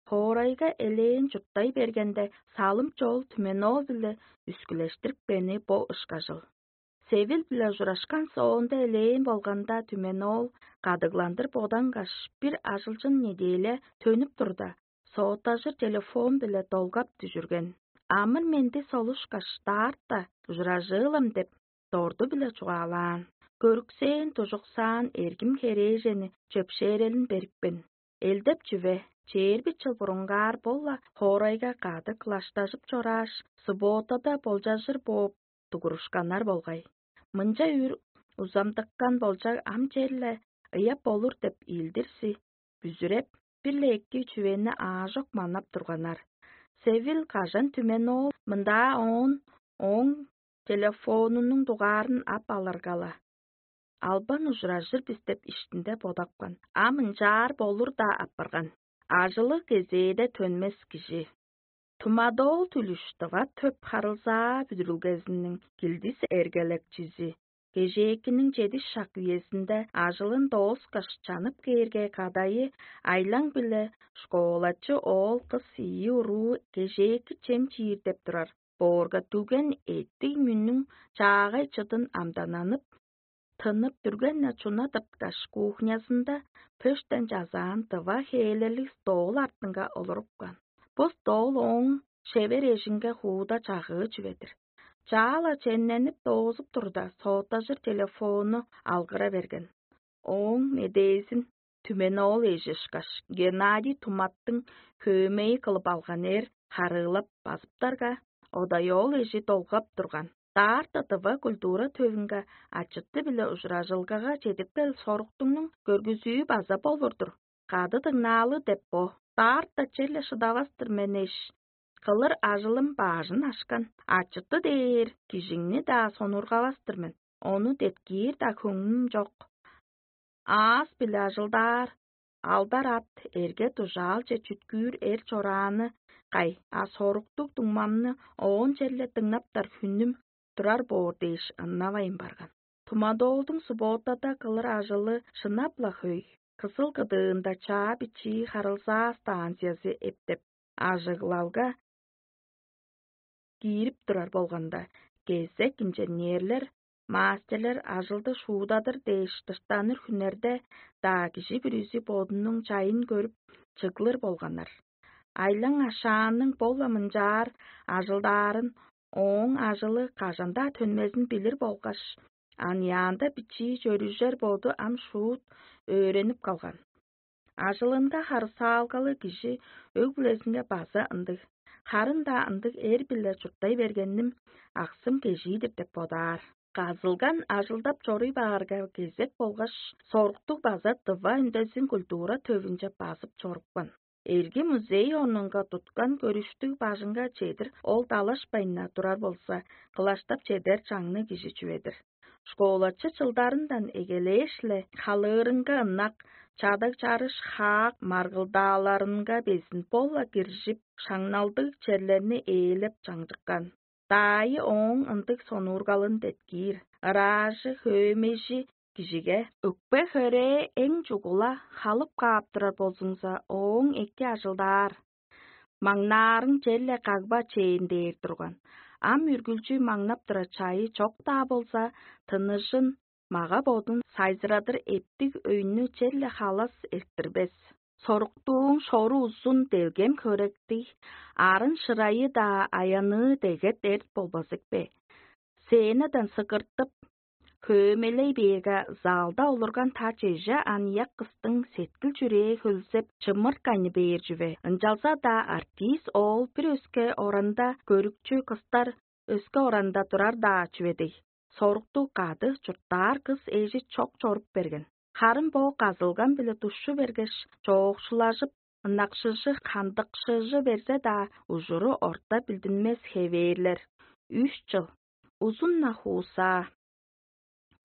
Хоорайга элээн чурттай бергенде, салым чол Түменоол-биле үскүлештирипкени бо ышкажыл. Севил-биле ужурашкан соонда элээн болганда, Түменоол кадыгландыр бодангаш, бир ажылчын неделя төнүп турда, сооттажыр телефон-биле долгап дүжүрген. «Амыр-менди солушкаш, даарта ужуражыылым» — деп, дорду-биле чугаалаан. Көрүксээн, дужуксаан эргим херээжени чөпшээрелин берипкен. Элдеп чүве, чээрби чыл бурунгаар бо-ла хоорайга кады кылаштажып чорааш, субботада болчажыр бооп дугурушканнар болгай. Мынча үр узамдыккан болчаг ам черле ыяп болур деп илдирзи бүзүреп, бир-ле эки чүвени аажок манап турганнар. Севил кажан Түменоол мындаа оон ооң телефонунуң дугаарын ап алыргала, албан ужуражыр бис деп иштинде бодапкан, ам ынчаар болур-даа апарган. Ажылы кезээде төнмес кижи. Тумадоол Түлүш тыва төп харылзаа бүдүрүлгезиниң килдис эргелекчизи. Кежээкиниң чедиш шак үезинде ажылын дооскаш чанып кээрге, кадайы айлаң-биле школачы оол кыс ийи уруу кежээки чем чиир деп турар боорга дүлген эттиг мүннүң чаагай чыдын амдананып, тынып дүрген-не чуна тырткаш, кухнязында пөштен чазаан тыва хээлерлиг стол артынга олурупкан. Бо стол ооң шевер эжинге хууда чагыы чүве-дир. Чаала чемненип доозуп турда, сооттажыр телефонну алгыра берген. Ооң медээзин Түменоол эжи ышкаш Геннадий Туматтың хөөмейи кылып алган эр харыылап базыптарга, одаёол эжи долгап турган. Даарта тыва культура төвүнге ачыты-биле ужуражылгага чедиптер соруктуңнуң көргүзүү база болур-дур. Кады дыңнаалы деп бо. Даарта черле шыдавас-тыр мен эш. Кылыр ажылым баажын ашкан, ачыты дээр кижиңни-даа сонургавас-тыр мен. Ону деткиир-даа хөңнүм чок. Аас-биле ажылдаар, алдар ат, эрге-дужаалче чүткүүр эр чорааны кай, а соруктуг дуңмамны оон черле дыңнаптар хүннүм турар боор дээш ыннавайн барган. Тумадоолдуң субботада кылыр ажылы шынап-ла хөй. Кызыл кыдыында чаа бичии харылзаа станциязы эптеп, ажыглалга киирип турар болганда, кезек инженерлер, мастерлер ажылды шуудадыр дээш дыштаныр хүннерде-даа кижи бүрүзү бодунуң чайын көрүп, чыглыр болганнар. Айлаң ашааның бо-ла мынчаар ажылдаарын, ооң ажылы кажан-даа төнмезин билир болгаш, аныяанда бичии чөрүжер боду ам шуут өөренип калган. Ажылынга харысаалгалы кижи өг-бүлезинге база ындыг, харын-даа ындыг эр-биле чурттай бергеним аксым кежии-дир деп бодаар. Казылган ажылдап чоруй баарга кезек болгаш, соруктуг база дыва үндезин культура төвүнче базып чорупкан. Эрги музей орнунга туткан көрүштүг бажыңга чедир ол далашпайн-на турар болза, кылаштап чедер чаңныг кижи чүве-дир. Школачы чылдарындан эгелээш-ле халыырынга ынак, чадаг-чарыш, хаак маргылдааларынга безин бо-ла киржип, шаңналдыг черлерни ээлеп чаңчыккан. Даайы ооң ындыг сонуургалын деткиир, ыраажы, хөөмейжи кижиге: «Өкпе-хөрээ эң чугула халып каап турар болзуңза, ооң эки ажылдаар, маңнаарың черле кагба чээн» — дээр турган. Ам үргүлчү маңнап турар чайы чок-даа болза, тыныжын, мага-бодун сайзырадыр эптиг өйнү черле халас эрттирбес. Соруктууң шору узун делгем хөректиг, арын шырайы-даа аяныы дегет эрт болбазык бе? Сценадан сыгыртып, хөөмелей бээрге, залда олурган та чеже аныяк кыстың сеткил-чүрээ хөлзеп, чымыртканы бээр чүве. Ынчалза-даа артист оол бир өске оранда көрүкчү кыстар өске оранда турар-даа чүве дег. Сорукту кады чурттаар кыс эжи чок чоруп берген. Харын бо казылган-биле душчу бергеш, чоокшулажып, ынакшыжы, хандыкшыжы берзе-даа, ужуру орта билдинмес хевээрлер. Үш чыл. Узун-на хуусаа.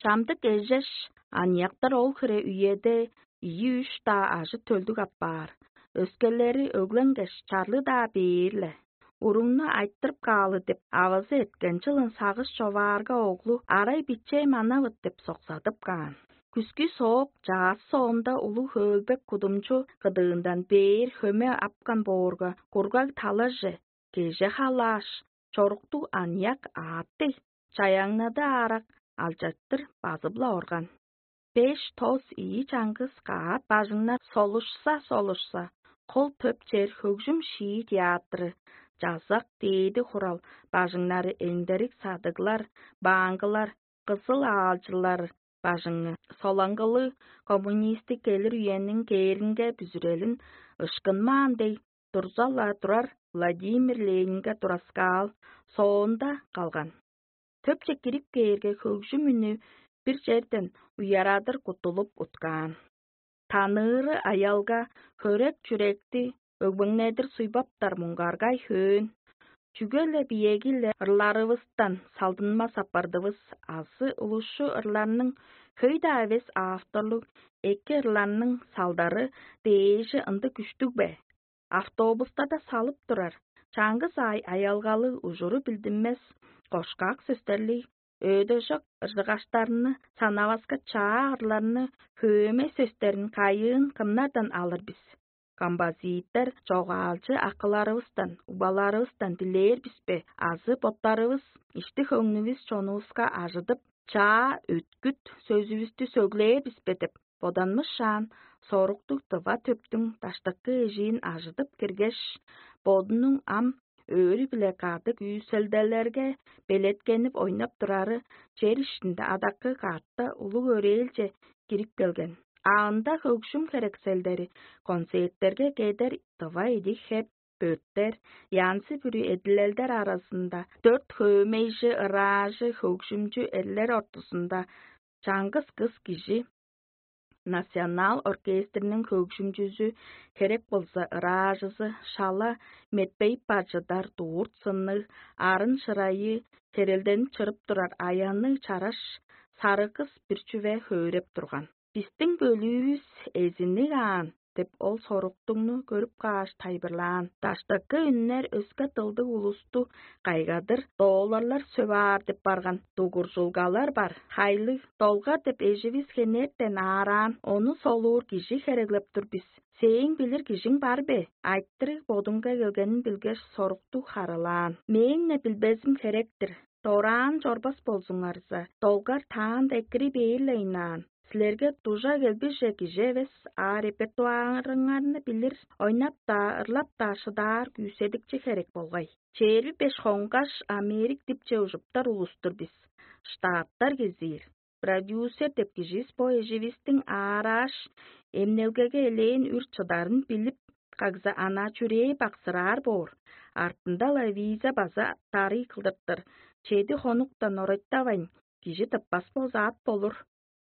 Чамдык эжеш, аныяктар ол хире үеде ийи-үш-даа ажы-төлдүг апаар, өскелери өгленгеш, чарлы-даа бээр-ле. Уруңну айтырып каалы деп, авазы эрткен чылын сагыш човаарга оглу арай бичээ манавыт деп соксадып каан. Күскү соок чаас соонда улуг хөөлбек кудумчу кыдыындан бээр хөме апкан боорга, кургаг талаже, кеже халааш, чоруктуг аныяк аатты, чаяңнады аарак алчаттыр базып-ла орган. Беш тос ийи чаңгыс каат бажыңнар солушса-солушса, кол төп чер хөгжүм шии театры, чазак дээди хурал бажыңнары, эңдерик садыглар, бааңгылар, кызыл аалчылар бажыңы, солаңгылыг коммунистик келир үениң кээринге бүзүрелин ышкынмаан дег, дурза-ла турар Владимир Ленинге тураскаал соонда калган. Төпче кирип кээрге, хөгжүм үнү бир черден уярадыр куттулуп уткаан. Таныыры аялга хөрек чүректи өгбеңнедир суйбаптар муңгаргай хөөн. Чүге-ле биеги-ле ырларывыстан салдынмас апардывыс азы улусчу ырларның хөй-даа эвес авторлуг эки ырларның салдары дээжи ындыг күштүг бе? Автобустарда салып турар, чаңгыс аай аялгалыг ужуру билдинмес, кошкак сөстерлиг, өөдөжок ыржыгаштарны санаваска чаа ырларны хөөме сөстерин кайыын кымнардан алыр бис? Композитор чогаалчы акыларывыстан, убаларывыстан дилээр бис бе азы боттарывыс ишти-хөңнүвүс чонувуска ажыдып, чаа өткүт сөзүвүстү сөглээр бис бе деп боданмышаан, соруктуг дыва төптүң даштыкы эжиин ажыдып киргеш, бодунуң ам өөрү-биле кады күүселделерге белеткенип ойнап турары чер иштинде адаккы катта улуг өрээлче кирип келген. А ында хөгжүм херекселдери, концерттерге кедер дыва идиг хеп, бөрттер, янзы-бүрү эдилелдер аразында дөрт хөөмейжи ыраажы хөгжүмчү эрлер ортузунда чаңгыс кыс кижи, национал оркестрниң хөгжүмчүзү, херек болза ыраажызы, шала метпейип бар чыдар дурт сынныг, арын шырайы, херелденип чырып турар аянныг чараш сарыгыс бир чүве хөөреп турган. Бистиң бөлүүвүс эзинниг аан деп, ол соруктугну көрүп кааш, тайбырлаан. Даштыкы үннер өске дылдыг улусту кайгадыр, долларлар сөп аар деп барган дугуржулгалар бар. Хайлыг, долгар деп эживис хенертен аараан, ону солуур кижи хереглеп тур бис. Сээң билир кижиң бар бе? Айтырыг бодунга келгенин билгеш, соруктуг харылаан. Мээң-не билбезим херек-тир. Дораан чорбас болзуңарза, долгар таанда экири бээр-ле ыйнаан. Силерге дужа келбиже кижи эвес, а репертуарыңарны билир, ойнап-даа, ырлап-даа шыдаар күүседикчи херек болгай. Чээрби беш хонгаш, Америк дипче ужуптар улустур бис. Штаттар кезиир. Продюсер деп кижис бо эживистиң аарааш, эмнелгеге элээн үр чыдарын билип, кагза ана чүрээ баксыраар боор. Артында-ла виза база дарый кылдыртыр. Чеди хонуктан орайтавайн, кижи тыппас болзаат болур.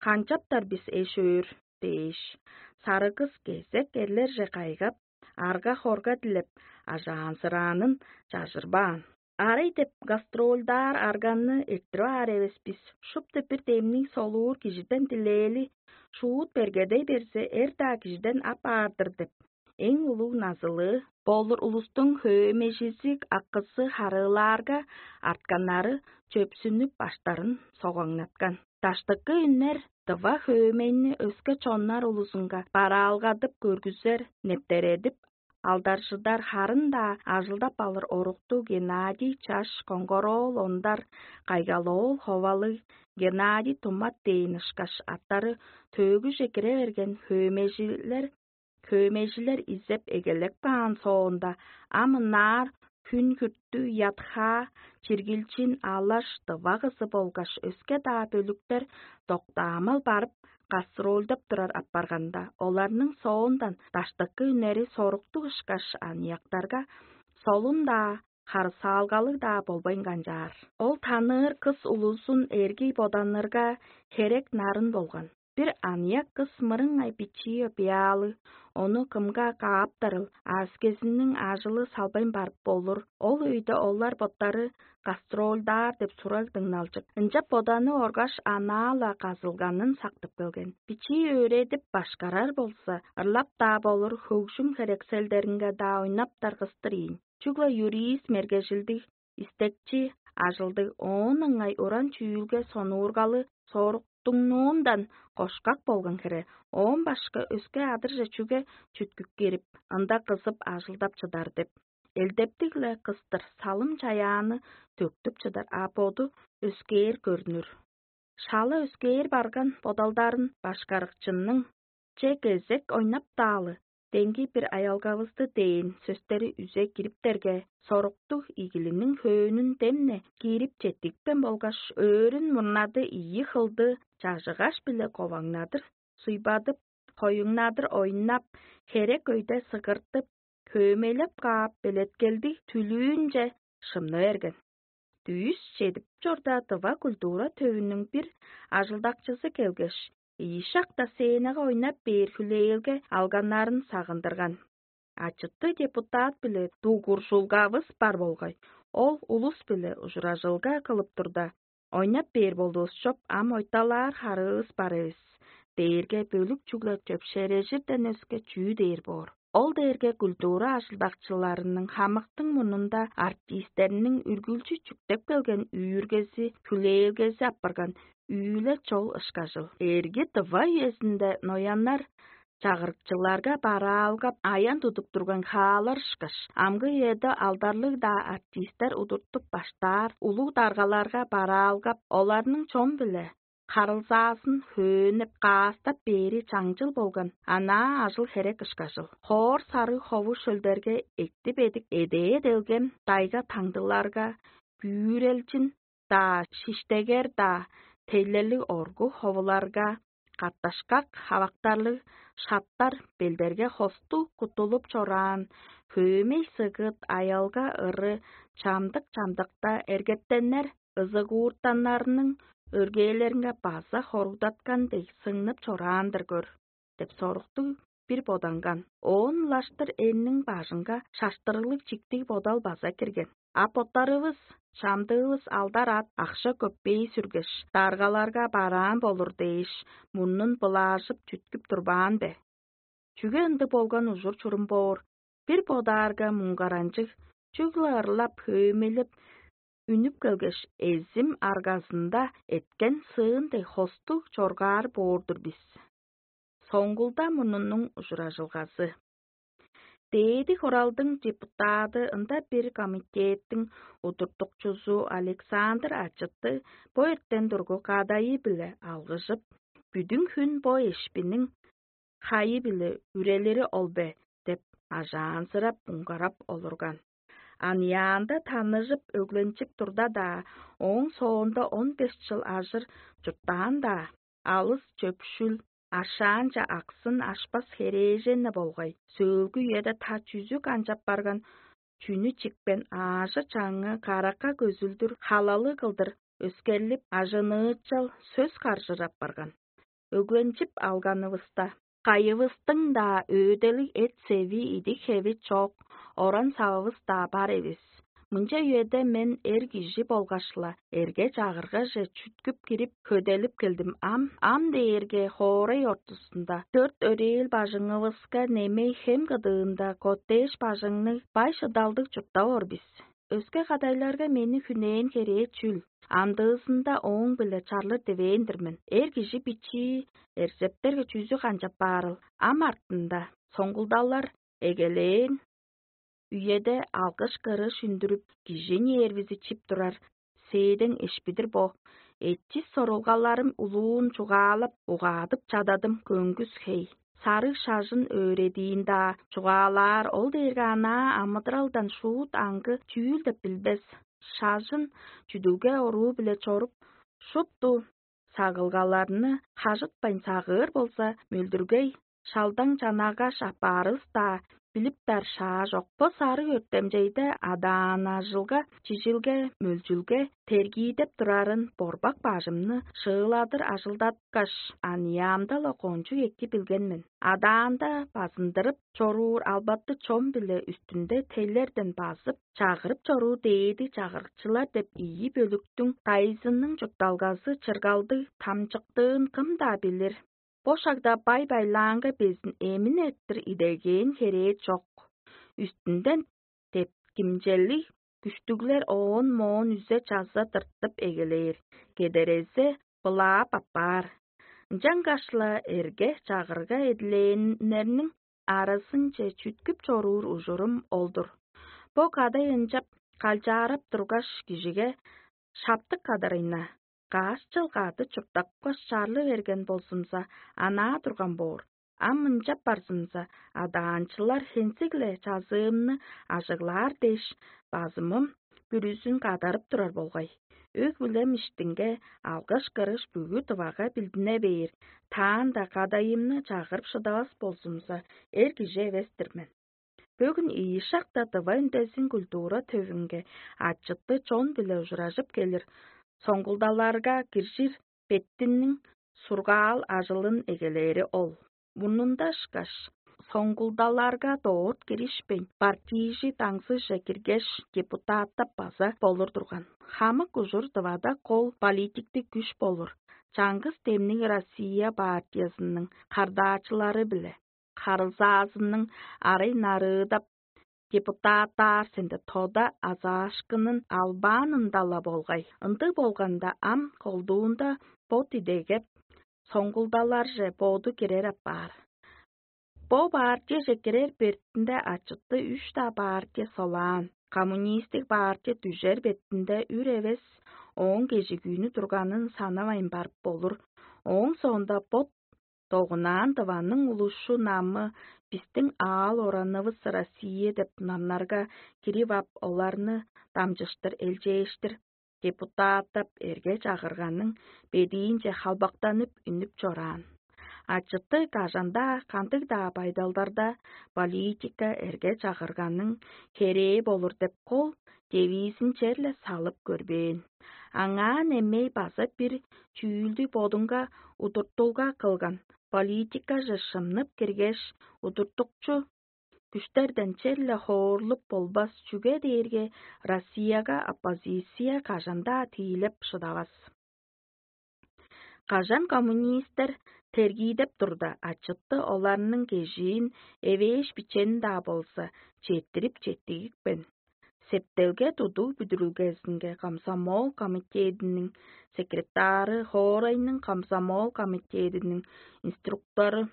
Канчаптар бис эш-өөр дээш, сарыгыс кезек эрлерже кайгап, арга-хорга дилеп, ажаанзыраанын чажырбаан. Арай деп гастрольдаар арганны эрттирип аар эвес бис, шупту бир демниг солуур кижиден дилээли, шуут бергедей берзе, эр-даа кижиден ап аар-дыр деп, эң улуг назылыы болур улустуң хөөмежизи акызы харыылаарга, артканнары чөпсүнүп, баштарын согаңнаткан. Даштыкы үннер дыва хөөмейни өске чоннар улузунга бараалгадып көргүзер, нептередип, алдаржыдар, харын-даа ажылдап алыр оруктуг Геннадий чаш, коңгороол ондар, кайгал-оол ховалыг Геннадий тумат дээн ышкаш аттары төөгүже кире берген хөөмежилер, хөөмежилер изеп эгелеп каан соонда, ам ынаар хүн-хүртү, ятхаа, чиргилчин, алаш, дывагызы болгаш өске-даа бөлүктер доктаамал барып, гастрольдап турар апарганда, оларның соондан даштыкы үнери соруктуг ышкаш аныяктарга солун-даа, харысаалгалыг-даа болбайн канчаар. Ол таныыр кыс улузун эргий боданырга херек нарын болган. Бир аныяк кыс мырыңай бичии өпеяалы, ону кымга кааптарыл, ааскезиниң ажылы салбайн барып болур. Ол өйде олар боттары гастрольдаар деп сураг дыңналчык. Ынчап боданы оргаш, анаа-ла казылганын сактып келген. Бичии өөредип башкарар болза, ырлап-даа болур, хөгжүм херекселдеринге-даа ойнап даргыстыр ийин. Чүгле юрист мергежилдиг, истекчи, ажылдыг, оон ыңай уран чүүлге сонуургалы соруктуңнуундан кошкак болган хире, оон башка өске адырже чүге чүткүп кирип, ында кызып ажылдап чыдар деп. Элдептиг-ле кыстыр салым чаяаны төктүп чыдар, а боду өскээр көрнүр. Шала өскээр барган бодалдарын башкарыкчынның че кезек ойнап-даалы, деңги бир аялгавысты дээн сөстери үзе кириптерге, соруктуг игилиниң хөөнүн демне киирип четтикпен болгаш, өөрүн мурнады ийи хылды чажыгаш-биле коваңнадыр, суйбадып, хоюңнадыр ойнап, херек өйде сыгыртып, хөөмейлеп каап, белеткелдиг түлүүнче шымны берген. Дүүс чедип чорда, тыва культура төвүнүң бир ажылдакчызы келгеш, ийи шакта сценага ойнап бээр хүлээлге алганнарын сагындырган. Ачыты депутат-биле дугуржулгавыс бар болгай. Ол улус-биле ужуражылга кылып турда, ойнап бээр болдувус чоп, ам ойталаар харыывыс бар эвес дээрге, бөлүк чүгле чөпшээрежирден өске чүү дээр боор? Ол дээрге культура ажылдакчыларының хамыктың мурнунда артистерниң үргүлчү чүктеп келген үүргези, хүлээлгези апарган үүле чол ышкажыл. Эрги тыва үезинде нояннар чагырыкчыларга бараалгап, аян тудуп турган хаалар ышкаш, амгы үеде алдарлыг-даа артистер удуртуп баштаар улуг даргаларга бараалгап, оларның чон-биле харылзаазын хөөнеп, каастап бээри чаңчыл болган анаа ажыл-херек ышкажыл. Хоор сарыг хову шөлдерге эктип эдик эдээ делгем дайга таңдыларга, бүүрелчин-даа, шиштегер-даа, тейлелиг оргу ховуларга, катташкак хавактарлыг шаптар белдерге хосту куттулуп чораан, хөөмей сыгыт, аялга ыры чамдык-чамдыкта эргеттеннер ызыгууртаннарының өргээлеринге база хоругдаткан дег сыңнып чораан-дыр көр деп соруктуг бир боданган. Оон улаштыр энниң бажынга шаштырыглыг чиктиг бодал база кирген. А боттарывыс, чамдыывыс алдар-ат, акша-көппей сүргеш, даргаларга бараан болур дээш, мурнун былаажып чүткүп турбаан бе? Чүге ындыг болган ужур-чурум боор? Бир бодаарга муңгаранчыг, чүгле ырлап, хөөмелеп үнүп келгеш, эзим аргазында эткен сыын дег хостуг чоргаар боор-дур бис. Соңгулда мурнунуң ужуражылгазы. Дээди Хуралдың депутаты, ында бир комитеттиң удуртукчузу Александр Ачыты бо эртен тургу кадайы-биле алгыжып, бүдүн хүн бо эшпиниң хайы-биле үрелири ол бе деп ажаанзырап, муңгарап олурган. Аныяанда таныжып, өгленчип турда-даа, ооң соонда он беш чыл ажыр чурттаан-даа, алыс чөпшүл, ашаанча аксын ашпас херээжен-не болгай, сөөлгү үеде та чүзү канчап барган, чүнү чикпен, аажы-чаңы каракка көзүлдүр, халалы кылдыр өскерлип, ажыныычал сөс каржыр апарган. Өгленчип алганывыста, кайывыстың-даа өөделиг эт-севи, идик-хеви чок, оран-савывыс-даа бар эвес. Мынча үеде мен эр кижи болгаш-ла, эрге-чагыргаже чүткүп кирип, хөделип келдим ам. Ам дээрге хоорай ортузунда, дөрт өрээл бажыңывыска немей хем кыдыында коттедж бажыңныг бай шыдалдыг чурттап ор бис. Өске кадайларга мени хүнээн херээ чүл? Амдыызында ооң-биле чарлыр дивээн-дир мен. Эр кижи бичии эрзептерге чүзү канчап баарыл? Ам артында соңгулдалар эгелээн, Үеде алгыш-кырыш үндүрүп, кижи нервизи чип турар сээдең эшпидир бо. Эчис сорулгаларым улуун чугаалап, угаадып чададым көңгүс хей. Сарыг шажын өөредиин-даа чугаалаар ол дээрге анаа амыдыралдан шуут аңгы чүүл деп билбес. Шажын чүдүлге оруу-биле чоруп, шупту сагылгаларны хажытпайн сагыыр болза, мөлдүргей, шалдаң чанагаш аппаарывыс-даа билиптер шаа чок. Бо сарыг өртемчейде адаан ажылга, чижилге, мөлчүлге тергиидеп турарын борбак бажымны шыыладыр ажылдаткаш, аныяамда-ла кончуг эки билген мен. Адаанда базындырып чоруур албатты чон-биле үстүнде теллерден базып, чагырып чоруур дээди чагырыкчылар деп ийи бөлүктүң дайзынның чуртталгазы чыргалдыг тамчыктыын кым-даа билир. Бо шагда бай-байлаанга безин эмин эрттир идегээн херээ чок. Үстүнден деткимчелиг күштүглер оон-моон үзе-чаза тыртып эгелээр, кедерезе былаап аппаар. Ынчангаш-ла эрге-чагырга эдилээннерниң аразынче чүткүп чоруур ужурум ол-дур. Бо кадай ынчап калчаарап тургаш, кижиге шаптык кадарайна, каш чыл кады чурттапкаш чарлы берген болзумза, анаа турган боор. Ам ынчап барзымза, адаанчылар хензиг-ле чазыымны ажыглаар дээш, базымым бүрүзүн кадарып турар болгай. Өг-бүлем иштинге алгыш-кырыш бүгү Тывага билдине бээр, таанда кадайымны чагырып шыдавас болзумза, эр кижи эвес-тир мен. Бөгүн ийи шакта Тыва үндезин культура төвүнге ачыты чон-биле ужуражып келир соңгулдаларга киржир беттинниң сургаал ажылын эгелээри ол. Мурнунда ышкаш, соңгулдаларга дорт киришпейн, партийжи даңзыже киргеш, депутаттап база болур турган. Хамык ужур Тывада кол политиктиг күш болур. Чаңгыс демниг Россия партиязының хардаачылары-биле харылзаазының арай нарыыдап, депутаттаар сенде тода азаашкынын албаанында-ла болгай. Ындыг болганда ам колдуунда бот идегеп, соңгулдаларже боду кирер апаар. Бо партияже кирер бертинде ачыты үш-даа партия солаан. Коммунистик партия дүжер бетинде үр эвес ооң кежигүүнү турганын санавайн барып болур. Ооң соонда бот догунаан дыванның улушу намы бистиң аал оранывыс Россия деп намнарга кирип ап, оларны дамчыштыр элчээштир депутаттап эрге чагырганның бедиинче халбактанып үнүп чораан. Ачыты кажан-даа кандыг-даа байдалдарда политика эрге чагырганның херээ болур деп кол девизин черле салып көрбээн. Аңаа немей база бир чүүлдү бодунга удуртулга кылган политикаже шымнып киргеш, удуртукчу күштерден черле хоорлуп болбас, чүге дээрге Россияга оппозиция кажан-даа тиилеп шыдавас. Кажан коммунистер тергиидеп турда, ачытты оларның кежиин эвээш бичени-даа болза, четтирип четтигипкен. Септелге тудуг бүдүрүлгезинге комсомол комитединиң секретары, хоорайның комсомол комитединиң инструктору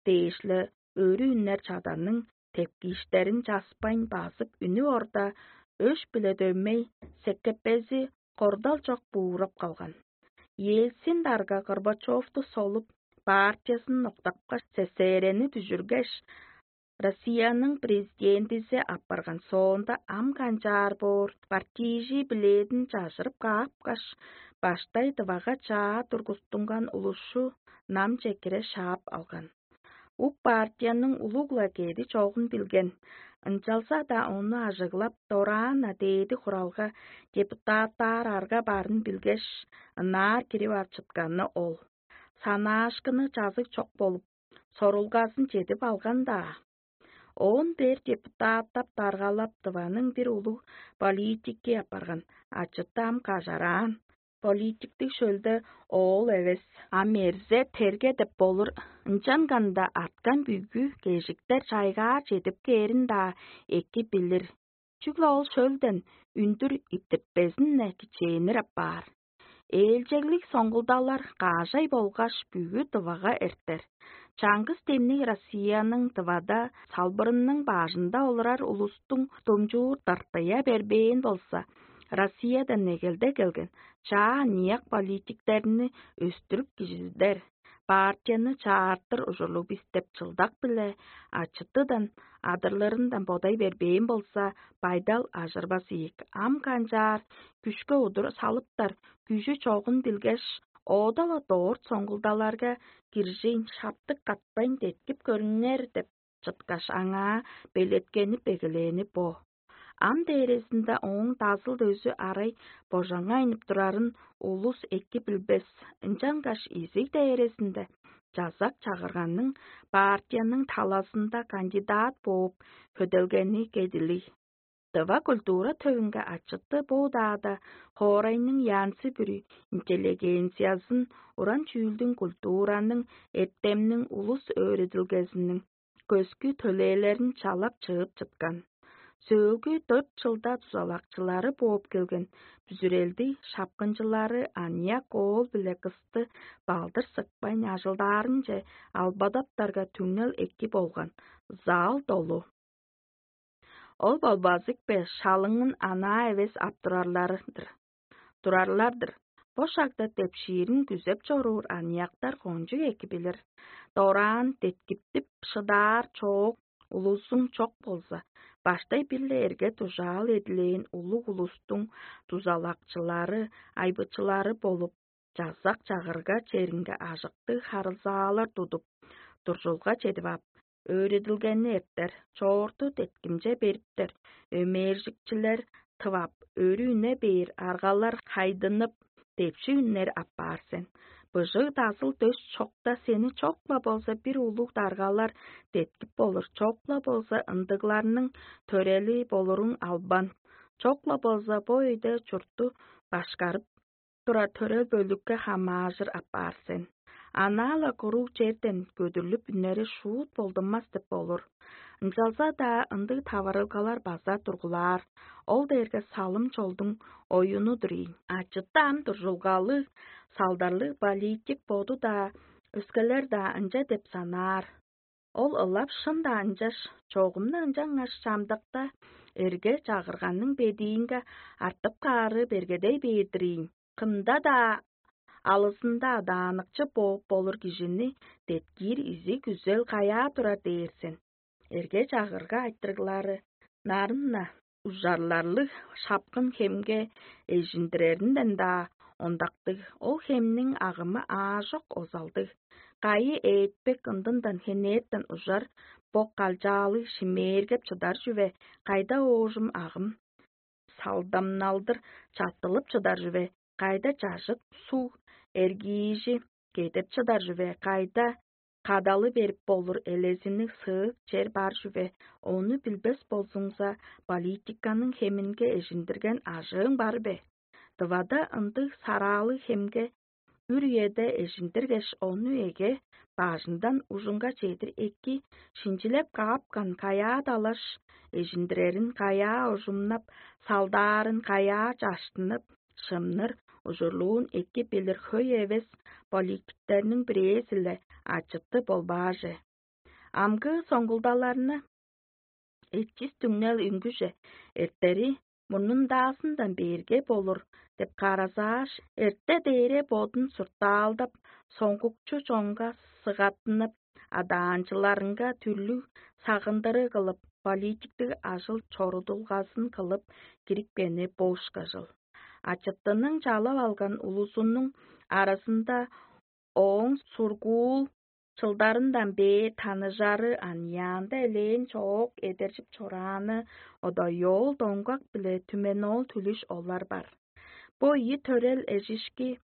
дээш-ле өрү үннер чаданның тепкииштерин часпайн базып үнүп орда, өш-биле дөмей, секкепези кордал чок буурап калган. Ельцин дарга Горбачевту солуп, партиясын октапкаш, СССР-ни дүжүргеш, Россияның президентизи апарган соонда ам канчаар боор, партийжи билээдин чажырып каапкаш, баштай дывага чаа тургустунган улушу намче кире шаап алган. Ук партияның улуг-ла кеди чогун билген, ынчалза-даа ону ажыглап, дораан-на дээди хуралга депутаттаар арга барын билгеш, ынаар кирип ап чытканы ол. Санаашкыны чазыг чок болуп, сорулгазын чедип алган-даа. Оон бээр депутаттап даргалап дываның бир улуг политики апарган, ачыттам кажараан. Политиктиг шөлде оол эвес, а мерзе терге деп болур. Ынчанганда арткан бүгү кежиктер чайгаар чедип кээрин-даа эки билир. Чүгле ол шөлден үндүр иттиртпезин-не кичээнир апаар. Ээлчеглиг соңгулдалар каажай болгаш бүгү дывага эртер. Чаңгыс демниг Россияның дывада салбырының баажында олурар улустуң думчуур дыртыя бербээн болза, Россиядан негелде келген чаа аныяк политиктерни өстүрүп кижизидер, партияны чаартыр ужурлуг бис деп чылдак-биле ачыттыдан адырлырындан бодай бербээн болза, байдал ажырбас ийик. Ам канчаар күшке удур салыптар, күжү чогун билгеш, оода-ла дорт соңгулдаларга киржейн шаптык катпайн деткип көрүңер деп чыткаш, аңаа белеткенип эгелээни бо. Ам дээрезинде ооң дазыл дөзү арай божаңайнып турарын улус эки билбес, ынчангаш изиг дээрезинде чазак чагырганның партияның талазында кандидат бооп хөделгени кедилиг. Дыва культура төвүнге ачыты бо-даада хоорайның янзы бүрү интеллигенциязын уран чүүлдүң, культураның, эртемниң, улус өөредилгезиниң көскү төлээлерин чалап чыып чыткан. Сөөлгү дөрт чылда дузалакчылары бооп келген бүзүрелди шапкынчылары аныяк оол биле кысты балдыр сыкпайн ажылдаарынче албадаптарга түңнел эки болган, зал долу. Ол болбазык бе, шалыңын анаа эвес ап турарлар-дыр. Турарлар-дыр. Бо шагда депшиирин күзеп чоруур аныяктар кончуг эки билир. Дораан деткиптип шыдаар чоок улузуң чок болза, баштай бир-ле эрге дужаал эдилээн улуг улустуң дузалакчылары, айбычылары болуп, чазак-чагырга черинге ажыктыг харылзаалар тудуп, дуржулга чедип ап, өөредилгени эртер, чоорту деткимче бериптер, өмээржикчилер тывап, өрү үне бээр аргалар хайдынып, депши үннер аппаар сен. Быжыг дазыл дөс чокта сени чок-ла болза бир улуг даргалар деткип болур, чок-ла болза ындыгларның төрели болуруң албан. Чок-ла болза бо өйде чуртту башкарып турар төрел бөлүкке хамаажыр апаар сен. Анаа-ла куруг черден көдүрлүп үннери шуут болдунмас деп болур. Ынчалза-даа ындыг таварылгалар база тургулаар, ол дээрге салым чолдуң оюну-дур ийин. Ачыттаан дуржулгалыг, салдарлыг политик боду-даа, өскелер-даа ынча деп санаар. Ол ылап шын-даа ынчаш, чогумну ынчангаш чамдыкта эрге чагырганның бедиинге артып каары бергедей бээр-дир ийин. Кымда-даа алызында адааныкчы бооп болур кижини деткиир изиг күзел каяа турар дээр сен? Эрге чагырга айтырыглары нарын-на ужарларлыг шапкын хемге эжиндиреринден-даа ондактыг, ол хемниң агымы аажок озалдыг. Кайы ээтпек ындындан хенертен ужар бок калчаалыг шимээргеп чыдар чүве, кайда оожум агым салдамналдыр чаттылып чыдар чүве, кайда чажыт суг эргиижи кедеп чыдар чүве, кайда кадалы берип болур элезинниг сыык чер бар чүве, ону билбес болзуңза, политиканың хеминге эжиндирген ажыың бар бе? Дывада ындыг сараалыг хемге үр үеде эжиндиргеш, ону эге бажындан ужунга чедир эки шинчилеп каапкан каяа далаш эжиндирерин, каяа ужумнап салдаарын, каяа чаштынып шымныр ужурлуун эки билир хөй эвес политиктерниң бирээзи-ле ачыты болбааже. Амгы соңгулдаларны эчис түңнел үнгүже эртери мурнундаазындан бээрге болур деп каразааш, эрте дээре бодун суртаалдап, соңгукчу чонга сыгаттынып, адаанчыларынга түрлүг сагындыры кылып, политиктиг ажыл чорудулгазын кылып кирипкени бошка чыл. Ачыттының чалап алган улузунуң аразында ооң сургуул чылдарындан бээр таныжары аныяанда элээн чоок эдержип чорааны Одоёол Доңгак биле Түменоол Түлүш олар бар. Бо ийи төрел эжишки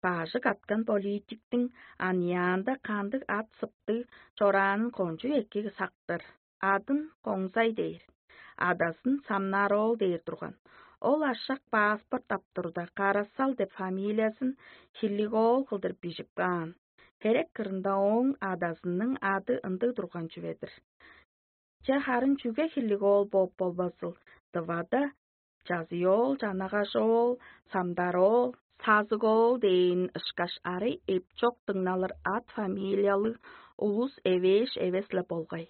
бажы каткан политиктиң аныяанда кандыг ат сыптыг чораанын кончуг эки сактыр. Адын Коңзай дээр. Адазын Самнароол дээр турган. Ол ашак паспорт ап турда, Карасал деп фамилиязын Хиллигоол кылдыр бижип каан. Херек кырында ооң адазының ады ындыг турган чүве-дир. Че харын чүге Хиллигоол бооп болбазыл? Дывада Чазыйоол, Чанагажоол, Самдароол, Тазык-оол дээн ышкаш арай эпчок дыңналыр ат фамилиялыг улус эвээш эвес-ле болгай.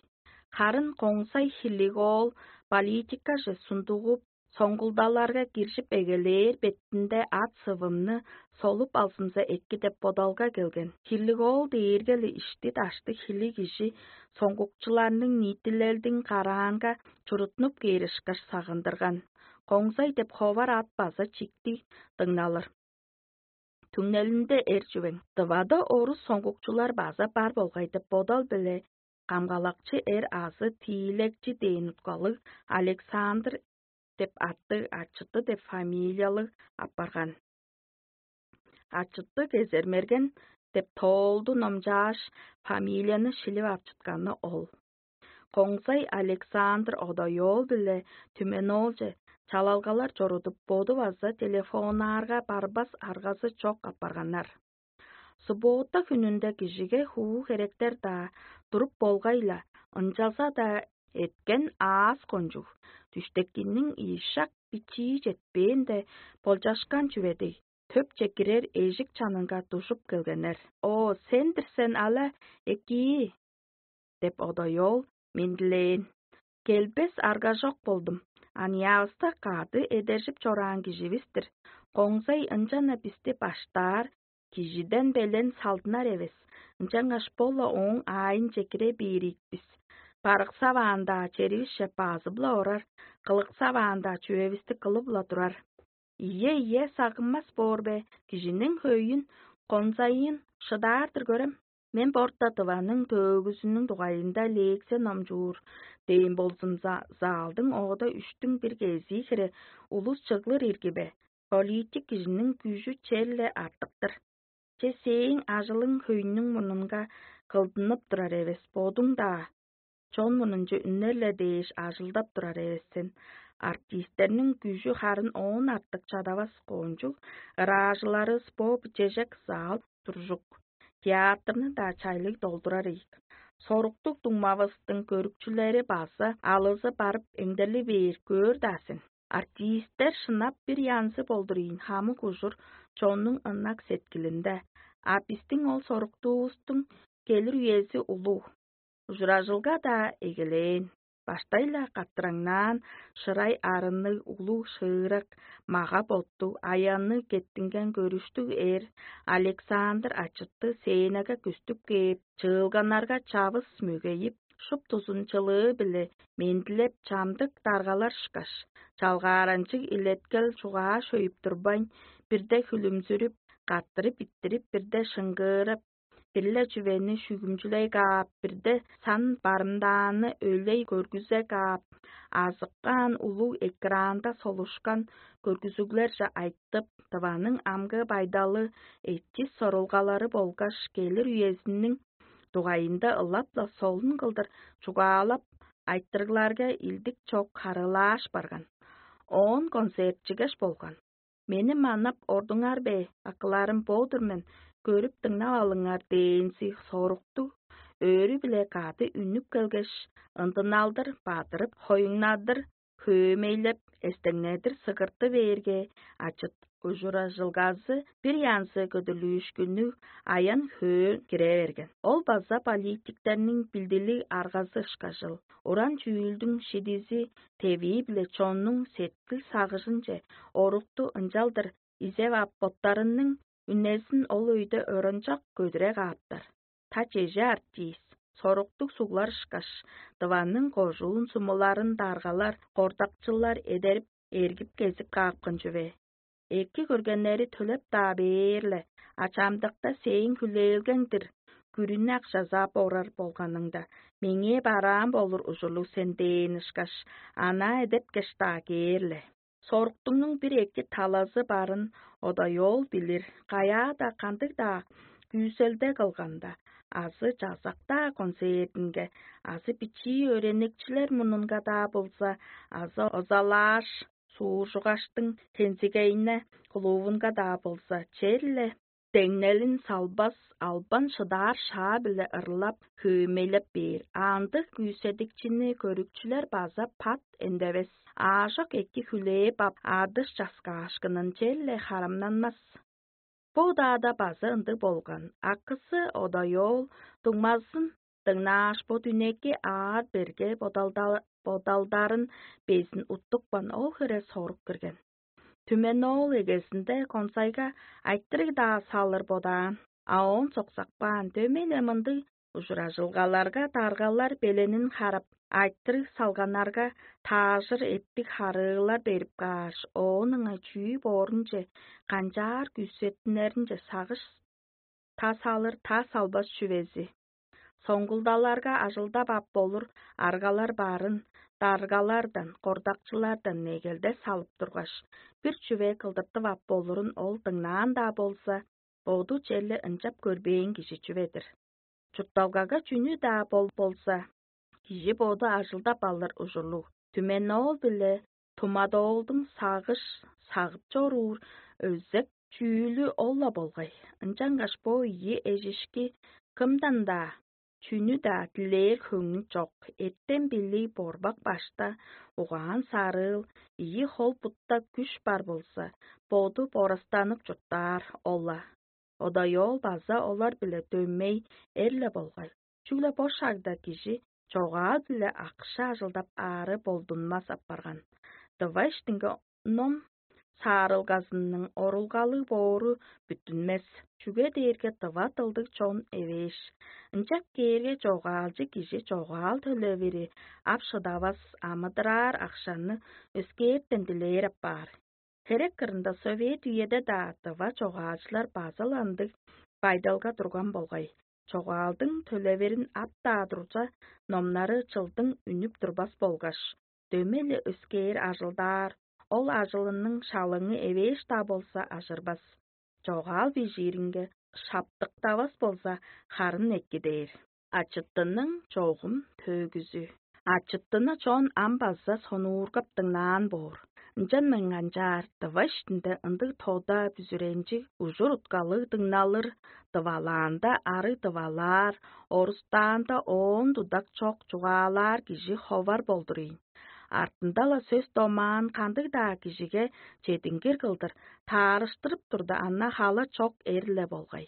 Харын коңзай хилиг-оол политикаже сундугуп, соңгулдаларга киржип эгелээр бетинде ат-сывымны солуп алзымза эки деп бодалга келген. Хилиг-оол дээрге-ле ишти-дашты хилиг кижи соңгукчуларның ниитилелдиң караанга чурутнуп кээр ышкаш сагындырган. Коңзай деп ховар ат база чиктиг дыңналыр. Түңнелинде эр чүвең. Дывада орус соңгукчулар база бар болгай деп бодал-биле камгалакчы эр азы тиилекчи дээн уткалыг Александр деп аттыг ачыты деп фамилиялыг апарган. Ачыты кезермерген деп тоолду номчааш, фамилияны шилип ап чытканы ол. Коңзай Александр Одоёл биле Түменоолче чалалгалар чорудуп, боду база телефоннаарга барбас аргазы чок апарганнар. Суббота хүнүнде кижиге хуу херектер-даа туруп болгай-ла, ынчалза-даа эткен аас кончуг, дүштекинниң ийи шак бичии четпээнде болчашкан чүве дег, төпче кирер эжик чанынга дужуп келгеннер. «О, сен-дир сен, ала, экии!» — деп одоёл мендилээн. Келбес аргажок болдум. Аныяавыста кады эдержип чораан киживис-тир. Коңзай ынчан-на бисти баштаар, кижиден белен салдынар эвес, ынчангаш бо-ла ооң аайынче кире бээр ийик бис. Барыксаваан-даа черивисче базып-ла орар, кылыксаваан-даа чүвевисти кылып-ла турар. Ийе, ийе, сагынмас боор бе, кижиниң хөйүн, конзайын шыдаар-дыр көрем. Мен борта дываның төөгүзүнүң дугайында лекция номчуур дээн болзумза, залдың оода үштүң бир кезии хире улус чыглыр ирги бе? Политик кижиниң күжү черле артыктыр. Че сээң ажылың хөйнүң мурнунга кылдынып турар эвес, бодуң-даа чон мурнунче үннер-ле дээш ажылдап турар эвес сен. Артистерниң күжү харын оон артык чадавас коончуг, ыраажылары спо чежек зал туржук, театрны-даа чайлыг долдурар ийик. Соруктуг дуңмавыстың көрүкчүлери база алызы барып эңдерли бээр көөр-даа сен. Артисттер шынап бир янзы болдур ийин хамык ужур чоннуң ынак сеткилинде, а бистиң ол соруктуувустуң келир үези улуг. Ужуражылга-даа эгелээн. Баштай-ла каттыраңнаан шырай арынныг улуг шыырак, мага-боттуг, аянныг кеттинген көрүштүг эр Александр ачытты сценага күстүп кээп, чыылганнарга чавыс мөгейип, шуптузун чылыы-биле мендилеп чамдык даргалар ышкаш, чалгааранчыг илеткел чугаа шөйүп турбайн, бирде хүлүмзүрүп, каттырып иттирип, бирде шыңгыырып, бир-ле чүвени шүгүмчүлей каап, бирде сан барымдааны өйлей көргүзе каап, азыккаан улуг экранда солушкан көргүзүглерже айтып, Тываның амгы байдалы, эчис сорулгалары болгаш келир үезиниң дугайында ылап-ла солун кылдыр чугаалап, айтырыгларга илдик чок харыылааш барган. Оон концертчигеш болган. Мени манап ордуңар бе, акыларым, бо-дур мен, көрүп-дыңнап алыңар дээнзи соруктуг, өөрү-биле кады үнүп келгеш, ындыналдыр бадырып, хоюңнадыр хөөмейлеп, эстеңнедир сыгырты бээрге, ачыт ужуражылгазы бир янзы көдүрлүүшкүннүг аян-хөөн кире берген. Ол база политиктерниң билдилиг аргазы ышкажыл. Уран чүүлдүң шидизи тевии-биле чоннуң сеткил-сагыжынче орукту ынчалдыр изеп ап, боттарының үнезин ол өйде оранчак көдүре кааптар. Та чеже артист, соруктуг суглар ышкаш, дыванның кожуун сумуларын даргалар, кордакчылар эдерип, эргип кезип каапкан чүве. Эки көргеннери төлеп-даа бээр-ле, а чамдыкта сээң хүлээлгең-дир, күрүнү акшазаап орар болганыңда, меңээ бараан болур ужурлуг сен дээн ышкаш, анаа эдепкеш-даа кээр-ле. Соруктуңнуң бир эки талазы барын одоёл билир, каяа-даа кандыг-даа күүселде кылганда, азы чазак-даа концертинге, азы бичии өөреникчилер мурнунга-даа болза, азы озалааш, сууржугаштың хензигейне клубунга-даа болза, черле деңнелин салбас, албан шыдаар шаа-биле ырлап, хөөмейлеп бээр. Аандыг күүседикчини көрүкчүлер база пат эндевес. Аажок эки хүлээп ап, адыш часкаашкынын черле харамнанмас. Бо удаада база ындыг болган. Акысы одоёол дуңмазын дыңнааш, бо дүнеки аар-берге бодалдарын безин уттупкан ол хире сорук кирген. Түмени ол эгезинде консайга айтырыг-даа салыр бодаан, а оон соксакпаан, дөмей-ле мындыг ужуражылгаларга даргалар беленин харап, айтырыг салганнарга таажыр эптиг харыылар берип кааш, оон ыңай чүү боорунче, канчаар күүсеттиннеринче сагыш тас алыр, тас албас чүвези. Соңгулдаларга ажылдап ап болур аргалар барын даргалардан, кордакчылардан негелде салып тургаш, бир чүве кылдыртып ап болурун ол дыңнаан-даа болза, боду черле ынчап көрбээн кижи чүве-дир. Чуртталгага чүнү-даа бол болза, кижи боду ажылдап алыр ужурлуг. Түмени ол-биле тумадоолдуң сагыш сагып чоруур өзек чүүлү ол-ла болгай. Ынчангаш бо ийи эжишки кымдан-даа, чүнү-даа дилээр хөңнү чок, эртем-билиг борбак башта, угаан сарыыл, ийи хол-бутта күш бар болза, боду борастанып чурттаар ол-ла. Одоёол база олар-биле дөмей эр-ле болгай, чүгле бо шагда кижи чогаал-биле акша ажылдап аары болдунмас апарган. Дывайштыңга ном саарылгазының орулгалыг боору бүттүнмес, чүге дээрге дыва дылдыг чон эвээш. Ынчап кээрге чогаалчы кижи чогаал төлевири ап шыдавас, амыдыраар акшаны өскээртен дилээр апаар. Херек кырында совет үеде-даа дыва чогаалчылар база-ла ындыг байдалга турган болгай. Чогаалдың төлеверин ап-даа турза, номнары чылдың үнүп турбас болгаш, дөмей-ле өскээр ажылдаар, ол ажылының шалыңы эвээш-даа болза ажырбас. Чогаал бижииринге шаптыктавас болза, харын эки дээр. Ачыттының чогум төөгүзү. Ачыттыны чон ам база сонуургап дыңнаан боор. Ынчан мен канчаар дыва иштинде ындыг тода бүзүренчиг ужур уткалыг дыңналыр, дывалаанда ары дывалаар, орустаанда оон дудак чок чугаалаар кижи ховар болдур ийин. Артында-ла сөс домаан кандыг-даа кижиге чедингир кылдыр таарыштырып турда, ана хала чок эр-ле болгай.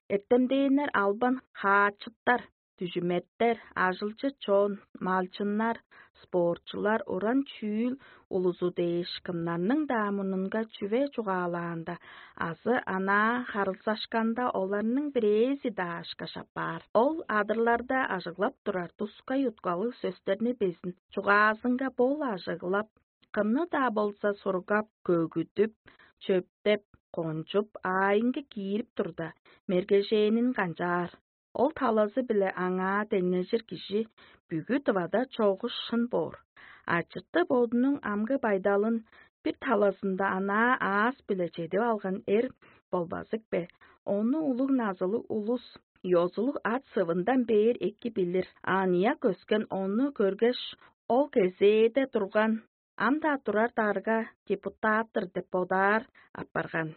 Эртемдээннер албан хаачыттар, дүжүметтер, ажылчы чон, малчыннар, спортчулар, уран чүүл улузу дээш кымнарның-даа мурнунга чүве чугаалаанда азы анаа харылзашканда оларның бирээзи-даа ышкаш апаар. Ол адырларда ажыглап турар тускай уткалыг сөстерни безин чугаазынга бол ажыглап, кымны-даа болза сургап, көгүдүп, чөптеп, кончуп, аайынга киирип турда, мергежээнин канчаар. Ол талазы-биле аңаа деңнежир кижи бүгү дывада чогуш шын боор. Ачыты бодунуң амгы байдалын бир талазында анаа аас-биле чедип алган эр болбазык бе? Ону улуг назылыг улус, ёзулуг ат сывындан бээр эки билир. Аныяк өскен ону көргеш, ол кезээде турган, ам-даа турар дарга депутат-тыр деп бодаар апарган.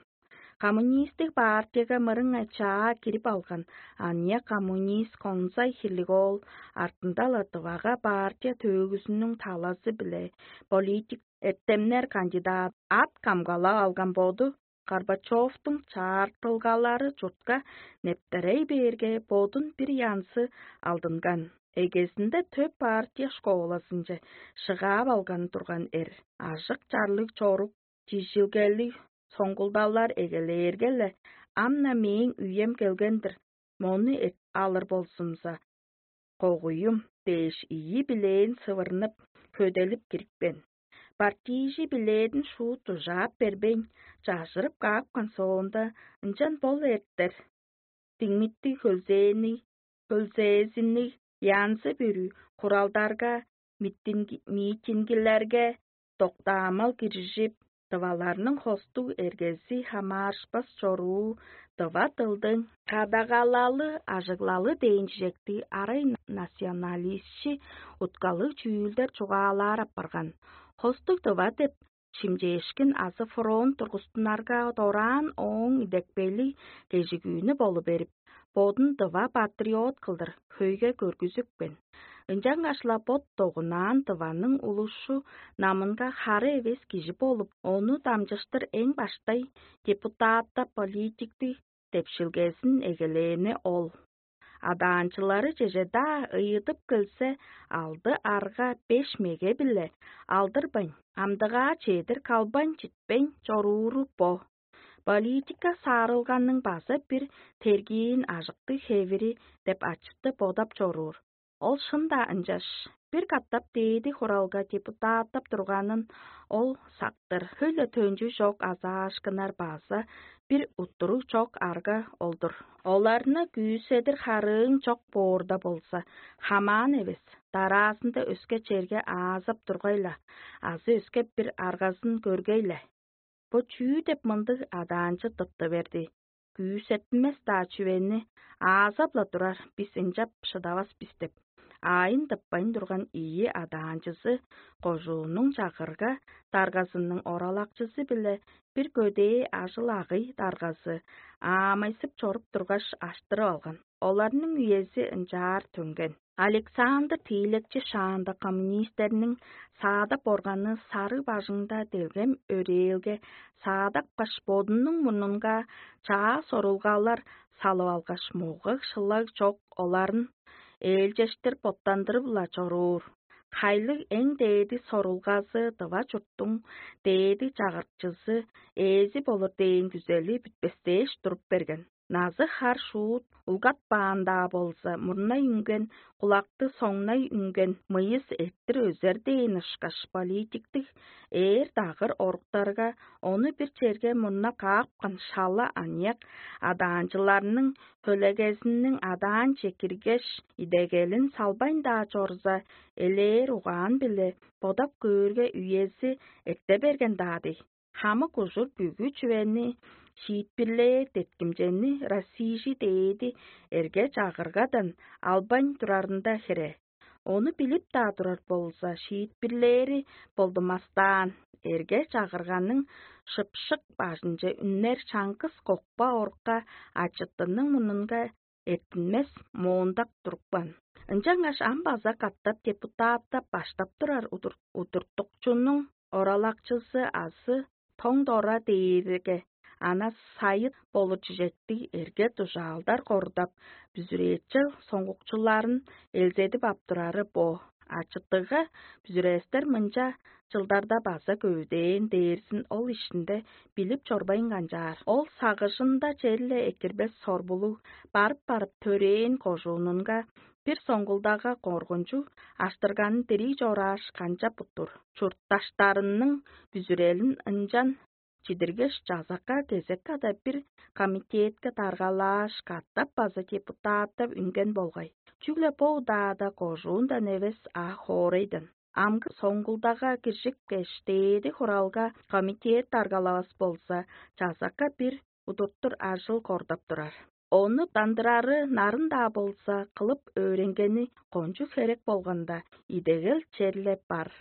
Коммунистиг партияга мырыңай чаа кирип алган аныяк коммунист конзай хирлиг оол артында-ла дывага партия төөгүзүнүң талазы-биле политик эртемнер кандидат ат камгалап алган боду Горбачевтуң чаартылгалары чуртка нептерей бээрге, бодун бир янзы алдынган. Эгезинде төп партия школазынче шыгаап алган турган эр. Ажык-чарлыг чорук, чижилгелиг соңгулдалар эгелээрге-ле, ам-на мээң үем келген-дир, мону эт алыр болзумза, когуюм дээш ийи билээн сывырнып, хөделип кирипкен. Партийжи билээдин шуут дужаап бербейн, чажырып каапкан соонда, ынчан бол эртер. Диңмиттиг хөлзээни, хөлзээзинниг янзы-бүрү хуралдарга, митингилерге доктаамал киржип, дываларның хостуг эргези хамаарышпас чоруу, дыва дылдың кадагалалы, ажыглалы дээн чижектиг арай националистчи уткалыг чүүлдер чугаалаар апарган. Хостуг дыва деп шимчээшкин азы фронт тургустунарга дораан ооң идепкейлиг кежигүүнү болу берип, бодун дыва патриот кылдыр хөйге көргүзүпкен. Ынчангаш-ла бот догунаан дыванның улушу намынга хары эвес кижи болуп, ону дамчыштыр эң баштай депутатта политиктиг депшилгезин эгелээни ол. Адаанчылары чеже-даа ыйыдып келсе, алды арга беш меге-биле алдырбайн, амдыгаа чедир калбайн читпейн чорууру бо. Политика саарылганның база бир тергиин ажыктыг хевири деп ачытты бодап чоруур. Ол шын-даа ынчаш, бир катап дээди хуралга депутаттап турганын ол сактыр. Хөй-ле төнчү чок азаашкыннар база бир уттуруг чок арга олдур. Оларны күүседир харыың чок боорда болза, хамаан эвес, дараазында өске черге аазап тургай-ла, азы өске бир аргазын көргей-ле. Бо чүү деп мындыг адаанчы тыпты берди? Күүсеттинмес-даа чүвени аазап-ла турар бис ынчап шыдавас бис деп. Аайын тыппайн турган ийи адаанчызы кожууннуң чагырга даргазының оралакчызы биле бир көдээ ажыл-агый даргазы аамайсып чоруп тургаш аштырып алган. Оларның үези ынчаар төнген. Александр тиилекчи шаанда коммунистерниң саадап органы сарыг бажыңда делгем өрээлге саадапкаш, бодунуң мурнунга чаа сорулгалар салып алгаш, мугаг-шылаг чок оларын ээлчештир боттандырып-ла чоруур. Хайлыг эң дээди сорулгазы дыва чурттуң дээди чагырыкчызы ээзи болур дээн күзели бүтпестээш туруп берген. Назы-хар шуут улгатпаан-даа болза, мурнай үнген, кулакты соңнай үнген мыйыс эрттир өзер дээн ышкаш политиктиг ээр дагыр оруктарга ону бир черге мурна каапкан шала аныяк адаанчыларның хөлегезиниң адаанче киргеш, идегелин салбайн-даа чорза, элээр угаан-биле бодап көөрге үези эрте берген-даа дий. Хамык ужур бүгү чүвени шиитпирлээр деткимчени Россияжы дээди эрге чагыргадан албайн турарында хире. Ону билип-даа турар болза, шиитпирлээри болдумастаан, эрге чагырганың шыпшык бажынче үннер чаңгыс кокпа орукка ачыттының мурнунга эртинмес моондак турупкан. Ынчангаш ам база катап депутаттап баштап турар удур- удуртукчунуң оралакчызы азы тоң дора дээрге ана сайыт болур чижектиг эрге дужаалдар корудап, бүзүрээчел соңгукчуларын элзедип ап турары бо. Ачыттыгга бүзүрээстер мынча чылдарда база көвүдээн дээрзин ол ишинде билип чорбайн канчаар. Ол сагыжында черле экирбес сорбулуг барып-барып төрээн кожуунунга бир соңгулдага коргунчуг аштырганын дирий чорааш канчап уттур. Чуртташтарының бүзүрелин ынчан чидиргеш, чазакка кезек када бир комитетке даргалааш, катап база депутаттап үнген болгай. Чүгле бо удаада кожуундан эвес, а хоорайдан. Амгы соңгулдага киржипкеш, дээди хуралга комитет даргалавас болза, чазакка бир удуртур ажыл кордап турар. Ону дандырары нарын-даа болза, кылып өөренгени кончуг херек болганда, идегел черле бар.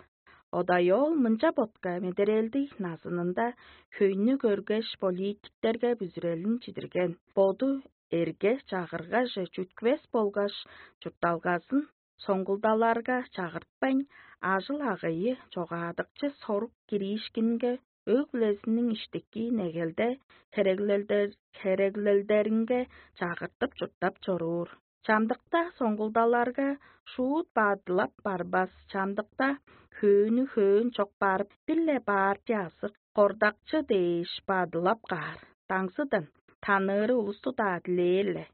Одайол мынча ботка медерелдиг назынында хөйнү көргеш, политиктерге бүзүрелин чидирген. Боду эрге чагыргаже чүткүвес болгаш, чуртталгазын соңгулдаларга чагыртпайн, ажыл-агыйы чогаадыкчы сорук кириишкинге өг-бүлезиниң иштики негелде хереглелдер, хереглелдеринге чагыртып чурттап чоруур. Чамдыкта соңгулдаларга шуут бадылап барбас, чамдыкта хөөнү хөөн чок барып, бир-ле баарчы азы кордакчы дээш бадылап каар. Даңзыдан таныыры улусту-даа дилээр-ле.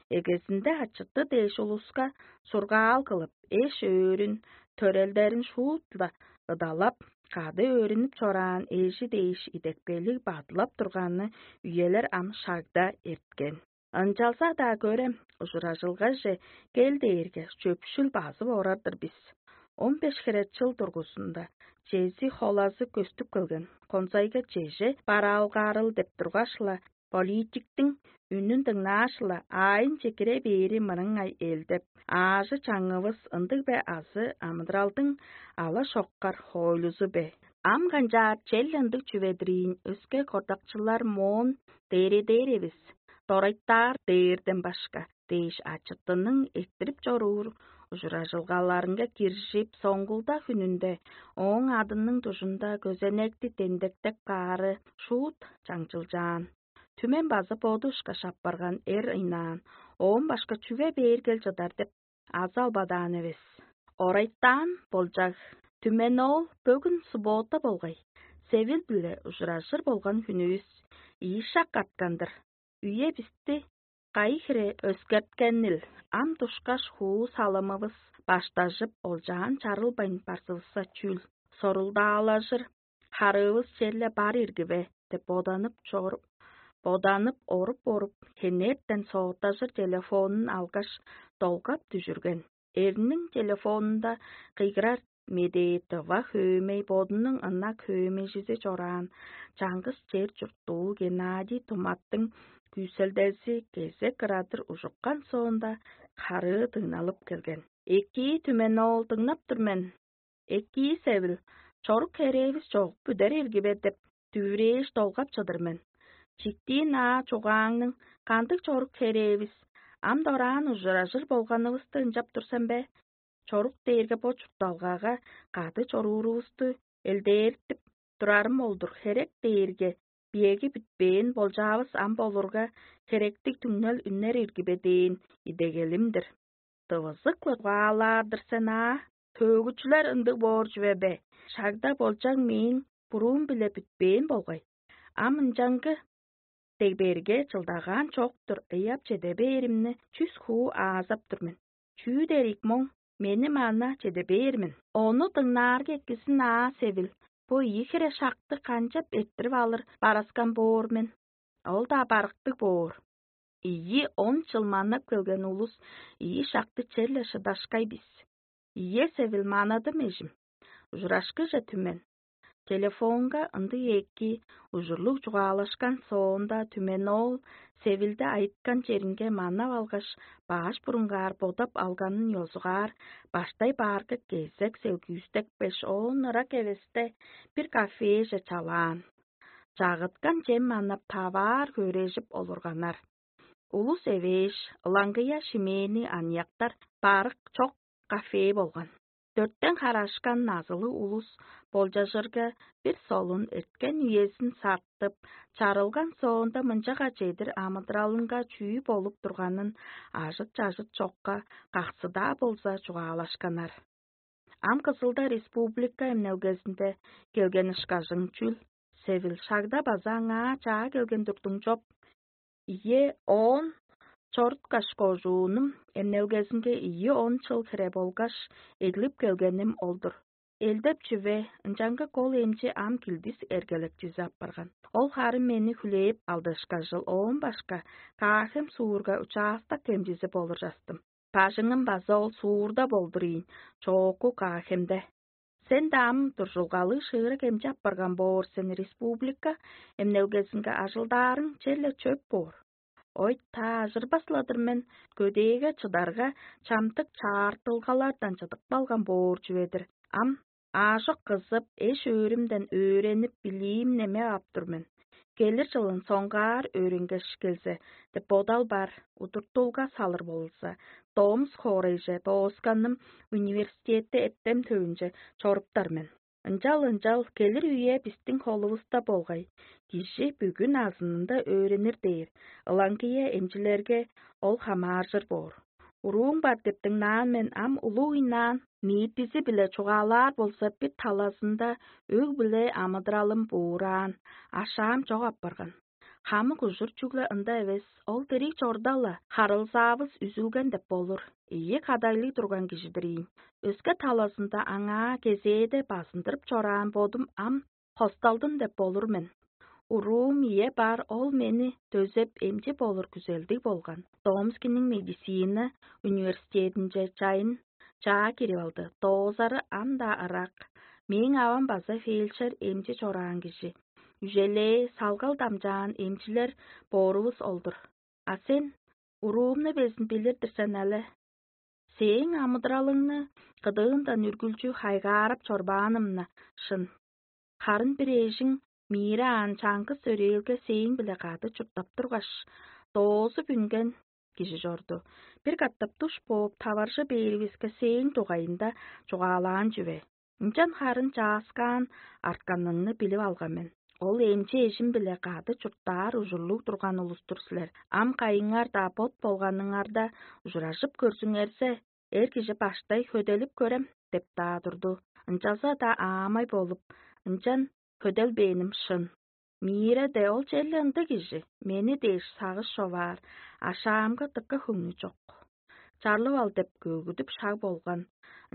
Эгезинде ачыты дээш улуска сургаал кылып, эш-өөрүн, төрелдерин шуут-ла ыдалап, кады өөрүнүп чораан эжи дээш идепкейлиг бадылап турганны үелер ам шагда эрткен. Ынчалза-даа көрем, ужуражылгаже кел дээрге, чөпшүл базып орар-дыр бис. Он беш хире чыл дургузунда чези холазы көстүп келген, конзайга чеже бараалгаарыл деп тургаш-ла, политиктиң үнүн дыңнааш-ла, аайынче кире бээри мырыңай эл деп, аажы-чаңывыс ындыг бе азы амыдыралдың ала-шоккар хоойлузу бе? Ам канчаар чел ындыг чүве-дир ийин, өске кордакчылар моон дээредээр эвес, дорайтаар дээрден башка дээш ачыттының эрттирип чоруур Ужуражылгаларынга киржип, соңгулда хүнүнде ооң адының дужунда көзенекти дендектеп каары шуут чаңчылчаан. Түмен база боду ышкаш апарган эр ыйнаан, оон башка чүге бээр кел чыдар деп азы албадаан эвес. Орайтаан болчаг, түмен ол бөгүн суббота болгай. Севил-биле ужуражыр болган хүнүвүс ийи шак арткан-дыр. Үе бисти кайы хире өскерткенил, ам душкаш хуу салымывыс баштажып, олчаан чарылбайн барзывысса чүүл, сорулдаалажыр харыывыс черле бар ирги бе деп боданып чоруп, боданып оруп-оруп, хенертен сооттажыр телефонун алгаш, долгап дүжүрген. Эрниң телефонунда кыйгырар медээ тыва хөөмей бодунуң ынак хөөмейжизи чораан чаңгыс чер чурттуул Геннадий Туматтың күүселдези кезек ырадыр ужуккан соонда, харыы дыңналып келген. «Экии, түмен оол, дыңнап тур мен. Экии, Севил, чорук херээвис чогуп бүдер ирги бе?» — деп дүвүрээш долгап чыдыр мен. Чиктиин аа чугааңның кандыг чорук херээвис, ам дораан ужуражыр болганывысты ынчап тур сен бе? Чорук дээрге бо чуртталгага кады чоруурувусту элдээртип турарым ол-дур, херек дээрге биеги бүтпээн болчаавыс ам болурга, херектиг түңнел үннер ирги бе дээн идегелим-дир. Дывызык-ла чугаалаар-дыр сен аа, төөгүчүлер ындыг боор чүве бе? Шагда болчаң мээң буруум-биле бүтпээн болгай. Ам ынчангы дегберге чылдагаан чок-тур ыяп чеде бээримни чүс хуу аазап тур мен. Чүү дерик моң, мени мана чеде бээр мен. Ону дыңнаарга эккизин аа, Севил, бо ийи хире шакты канчап эрттирип алыр бараскан боор мен? Ол-даа барыктыг боор. Ийи он чыл манап келген улус ийи шакты черле шыдашкай бис. Ийе, Севил, манадым, эжим. Ужурашкыже, түмен. Телефонга ындыг эки ужурлуг чугаалашкан соонда, түмен оол Севилде айыткан черинге манап алгаш, баш бурунгаар бодап алганын ёзугаар, баштай баарга кезек селгүүстекпеш, оон ырак эвесте бир кафеже чалаан. Чагыткан чем манап, таваар хөрежип олурганнар. Улус эвээш, ылаңгыя шимээни аныяктар барык чок кафе болган. Дөрттен харашкан назылыг улус болчажырга, бир солун эрткен үезин сартып, чарылган соонда мынчага чедир амыдыралынга чүү болуп турганын ажыт-чажыт чокка, каксы-даа болза, чугаалашканнар. Ам Кызылда республика эмнелгезинде келген ышкажың чүл, Севил, шагда база аңаа чаа келген турдуң чоп? Ийе, оон чоруткаш, кожуунум эмнелгезинге ийи он чыл хире болгаш, эглип келгеним ол-дур. Элдеп чүве, ынчангы кол эмчи ам килдис эргелекчизи апарган. Ол харын мени хүлээп алды ышкажыл, оон башка Каахем суурга учаастак эмчизи болур частым. Бажыңым база ол суурда болдур ийин, чоокку Каахемде. Сен-даа ам дуржулгалыг шыырак эмчи апарган боор сен, республика эмнелгезинге ажылдаарың черле чөп боор. Ой, таажырбас-ла-дыр мен, көдээге чыдарга, чамдык чаартылгалардан чыдып калган боор чүве-дир. Ам аажок кызып, эш-өөрүмден өөренип, билиим немеп ап тур мен. Келир чылын соңгаар өөренгеш келзе деп бодал бар, удуртулга салыр болза, Томск хоорайже доосканным университетте эртем төвүнче чоруптар мен. Ынчал-ынчал келир үе бистиң холувуста болгай. Кижи бүгүн азынында өөренир дээр, ылаңгыя эмчилерге ол хамааржыр боор. Урууң бар деп дыңнаан мен, ам улуг ыйнаан, ниитизи-биле чугаалаар болза, бир талазында өг-бүле амыдыралым буураан, ашаам чок апарган. Хамык ужур чүгле ында эвес, ол дириг чорда-ла харылзаавыс үзүлген деп болур. Ийи кадайлыг турган кижи-дир ийин. Өске талазында аңаа кезээде базындырып чораан бодум ам хосталдым деп болур мен. Уруум ие бар, ол мени дөзеп, эмчи болур күзелдиг болган. Томскиниң медицина университединче чайын чаа кирип алды. Доозары ам-даа ырак. Мээң авам база фельдшер эмчи чораан кижи. Үжелээ салгал дамчаан эмчилер боорувус ол-дур. А сен уруумну безин билир-дир сен але. Сээң амыдыралыңны кыдыындан үргүлчү хайгаарап чорбааным-на шын. Харын бир эжиң миире аан чаңгыс өрээлге сээң-биле кады чурттап тургаш, доозуп үнген кижи чорду. Бир катап душ бооп, таваржы бээривиске сээң дугайында чугаалаан чүве. Ынчан харын чааскаан артканыңны билип алган мен. Ол эмчи эжим-биле кады чурттаар ужурлуг турган улус-тур силер. Ам кайыңар-даа бот болганыңарда ужуражып көрзүңерзе, эр кижи баштай хөделип көрем деп-даа турду. Ынчалза-даа аамай болуп, ынчан хөделбээним шын. Мире де ол черле ындыг кижи, мени дээш сагыш човаар, ашаамга дыка хөңнү чок. Чарлып ал деп көгүдүп шаг болган.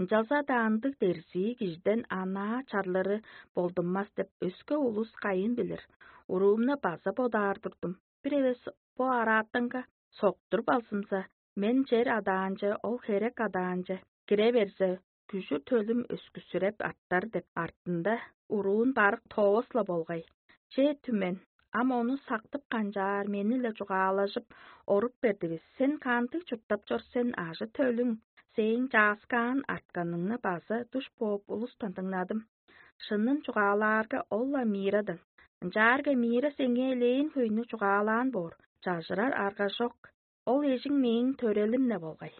Ынчалза-даа ындыг дерзии кижиден анаа чарлыры болдунмас деп өске улус кайын билир. Уруумну база бодаар турдум. Бир эвес бо араатанга соктуруп алзымза, мен чер адаанче, ол херек адаанче кире берзе, күжүр төлүм өскүсүреп артар деп артында уруун барык тоос-ла болгай. Че, түмен, ам ону сактып канчаар мени-ле чугаалажып оруп бердивис. Сен кандыг чурттап чор сен, ажы-төлүң, сээң чааскаан артканыңны база душ бооп улустан дыңнадым. Шынын чугаалаарга, ол-ла Мирадан. Ынчаарга Мира сеңээ элээн хөйнү чугаалаан боор, чажырар арга чок. Ол эжиң мээң төрелим-не болгай.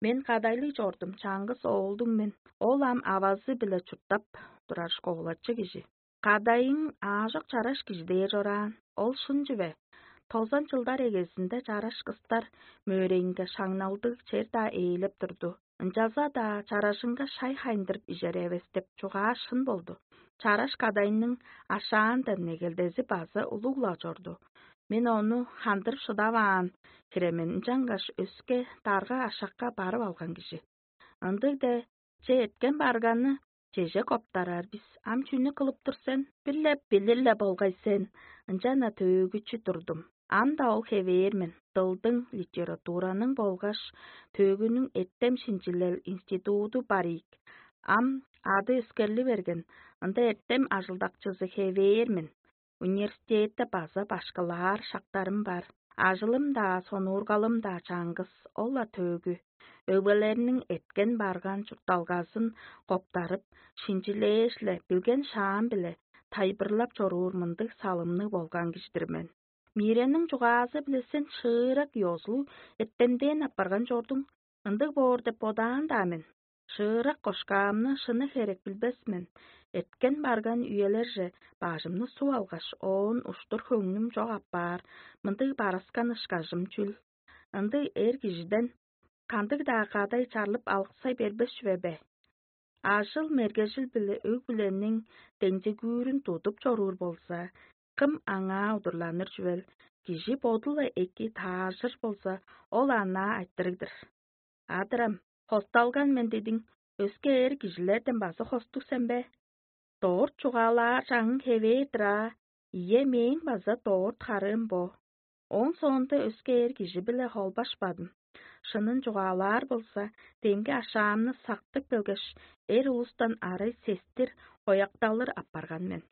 Мен кадайлыг чордум, чаңгыс оолдуң мен. Ол ам авазы-биле чурттап турар школачы кижи. Кадайың аажок чараш кижи дээр чораан. Ол шын чүве. Тозан чылдар эгезинде чараш кыстар мөөрейинге шаңналдыг чер-даа ээлеп турду. Ынчалза-даа чаражынга шай хайындырып ижер эвес деп чугаа шын болду. Чараш кадайның ашаандан негелдези база улуг-ла чорду. Мен ону хандырып шыдаваан хиремен, ынчангаш өске дарга ашакка барып алган кижи. Ындыг-де, че, эрткен барганы чеже коптарар бис. Ам чүнү кылып тур сен? Бир-ле билир-ле болгай сен. Ынчан-на төөгүчү турдум. Ам-даа ол хевээр мен. Дылдың, литератураның болгаш төөгүнүң эртем шинчилел институду бар ийик. Ам ады өскерли берген. Ында эртем ажылдакчызы хевээр мен. Университетте база башкылаар шактарым бар. Ажылым-даа, сонуургалым-даа чаңгыс, ол-ла төөгү. Өгбелерниң эткен-барган чуртталгазын коптарып, шинчилээш-ле, билген шаам-биле тайылбырлап чоруур мындыг салымныг болган кижи-дир мен. Мирениң чугаазы-биле сен шыырак ёзулуг эртемден апарган чордуң, ындыг боор деп бодаан-даа мен. Шыырак кошкаамны шыны херек билбес мен. Эрткен-барган үелерже бажымны суп алгаш, оон уштур хөңнүм чок апаар, мындыг барыскан ышкажым чүл? Ындыг эр кижиден кандыг-даа кадай чарлып алыксай бербес чүве бе? Ажыл-мергежил-биле өг-бүлениң деңзигүүрүн тудуп чоруур болза, кым аңаа удурланыр чүвел? Кижи боду-ла эки таажыр болза, ол анаа айтырыг-дыр. Адырам, хосталган мен дедиң, өске эр кижилерден база хостуг сен бе? Дорт чугаалаар чаңың хевээр-дир аа, ийе, мээң база дорт харыым бо. Ооң соонда өске эр кижи-биле холбашпадым. Шынын чугаалаар болза, демги ашаамны сактып келгеш, эр улустан арай сестир, оякталыр апарган мен.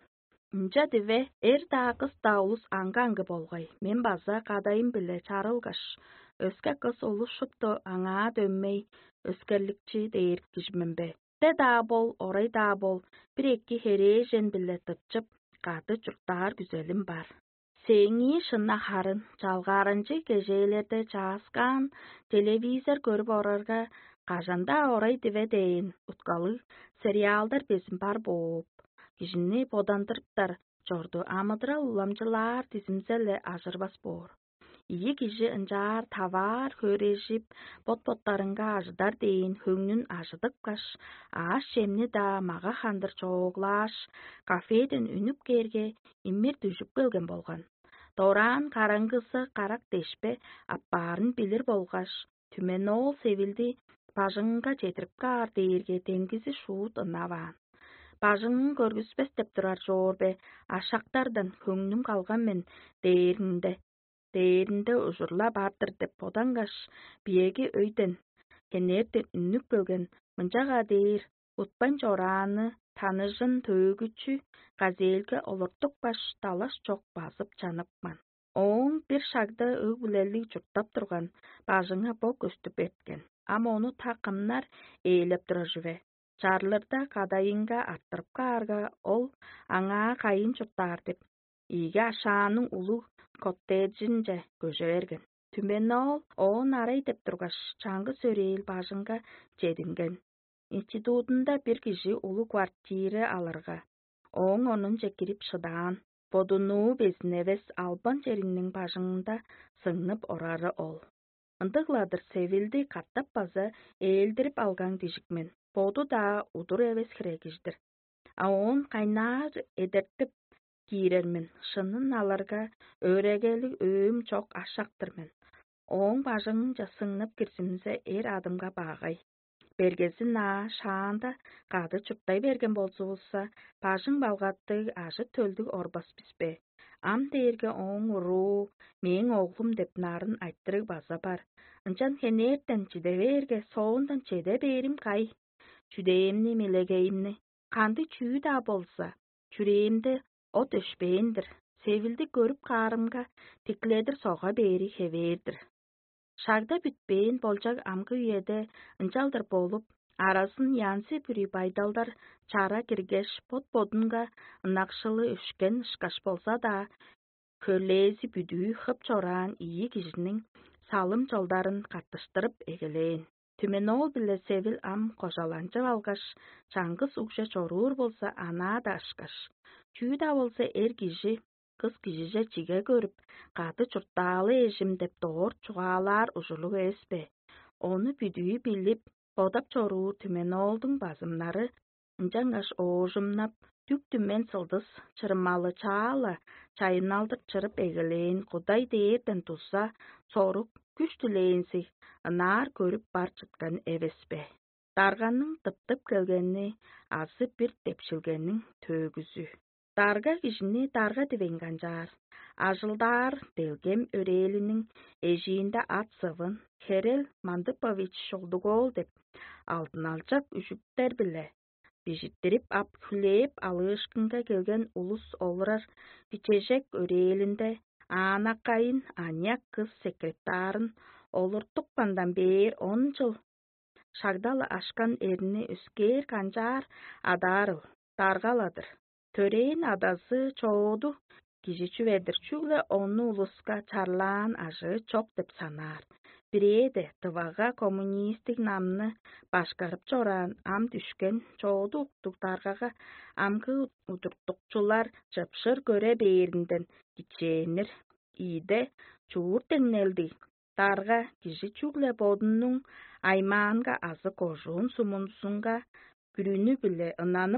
Ынча диве эр-даа, кыс-даа улус аңгы-аңгы болгай. Мен база кадайым-биле чарылгаш, өске кыс улус шупту аңаа дөмей, өскерликчи дээр кижи мен бе? Те-даа бол, орай-даа бол, бир-эки херээжен-биле тыпчып, кады чурттаар күзелим бар. Сээңии шынна харын, чалгааранчыг кежээлерде чааскаан телевизор көрүп орарга, кажан-даа орай диве дээн уткалыг сериалдар безин бар бооп, кижини бодандырыптар чорду, амыдырал уламчылаар дизимзе-ле ажырбас боор. Ийи кижи ынчаар таваар хөөрежип, бот-боттарынга ажыдар дээн хөңнүн ажыдыпкаш, аъш-чемни-даа мага-хандыр чооглааш, кафеден үнүп кээрге, имир дүжүп келген болган. Дораан караңгызы карак дешпе аппаарын билир болгаш, түменоол севилди бажыңынга чедирип каар дээрге демгизи шуут ынаваан. Бажыңын көргүспес деп турар чоор бе, ашактардан хөңнүм калган мен дээринде, дээринде ужурлап ар-дыр деп бодангаш, биеги өйден, хенертен үннүп келген мынчага дээр утпайн чорааны таныжын төөгүчү газельге олуртупкаш, далаш чок базып чаныпкан. Ооң бир шагда өг-бүлелиг чурттап турган бажыңы бо көстүп эрткен. Ам ону та кымнар ээлеп турар чүве? Чарлырда кадайынга арттырып каарга, ол аңаа кайын чурттаар деп, ийиги ашааның улуг коттеджинче көже берген. Түмени ол оон арай деп тургаш, чаңгыс өрээл бажыңга чединген. Институтунда бир кижи улуг квартира алырга, ооң онунче кирип шыдаан, бодунуу безин эвес албан чериниң бажыңында сыңнып орары ол. Ындыг-ла-дыр Севилди катап база ээлдирип алган дижик мен. Боду-даа удур эвес хире кижи-дир. А оон кайнаар эдертип киирер мен, шынын алырга, өөрегелиг өөм чок ашак-тыр мен. Ооң бажыңынче сыңнып кирзимзе, эр адымга багай. Бергезин аа шаанда кады чурттай берген болзувусса, бажың балгаттыг ажы-төлдүг орбас бис бе? Ам дээрге ооң уруу мээң оглум деп нарын айтырыг база бар. Ынчан хенертен чиде бээрге, соондан чеде бээрим кай? Чүдээримни, мелегейимни, кандыг чүү-даа болза, чүрээмде от өшпээн-дир, Севилди көрүп каарымга, тикледир сога бээри хевээр-дир. Шагда бүтпээн болчаг амгы үеде ынчалдыр болуп, аразын янзы-бүрү байдалдар чара киргеш, бот-бодунга ынакшылы өшкен ышкаш болза-даа, хөрлээзи бүдүү хып чораан ийи кижиниң салым-чолдарын каттыштырып эгелээн. Түмени ол-биле Севил ам кожаланчып алгаш, чаңгыс угже чоруур болза, анаа-даа ышкаш. Чүү-даа болза, эр кижи кыс кижиже чиге көрүп, кады чурттаалы эжим деп доор чугаалаар ужурлуг эвес бе? Ону бүдүү билип, бодап чоруур Түмени оолдуң базымнары ынчангаш оожумнап, дүк-түмен сылдыс чырымалы чаа-ла чайынналдыр чырып эгелээн Кудай дээрден туза сорук, күш-түлээнзиг ынаар көрүп бар чыткан эвес бе? Дарганың тыптып келгени азы бир депшилгениң төөгүзү. Дарга кижини дарга дивейн канчаар, ажылдаар делгем өрээлиниң эжиинде ат-сывын Херел Мандыпович Шолдуг-оол деп алдыналчак үжүктер-биле бижиттирип ап, хүлээп алыышкынга келген улус олурар кичежек өрээлинде аанакайын аныяк кыс секретарын олуртупкандан бээр он чыл шагда-ла ашкан эрни өскээр канчаар адаарыл, даргаладыр. Төрээн адазы чооду кижи чүве-дир, чүгле ону улуска чарлаан ажыы чок деп санаар. Бирээде тывага коммунистиг намны башкарып чораан ам дүшкен чооду уктуг даргага амгы удуртукчулар чыпшыр көре бээринден кичээннер. Ийде чуур деңнелдиг дарга кижи чүгле бодунуң аймаанга азы кожуун сумунзунга бүрүнү-биле ынаны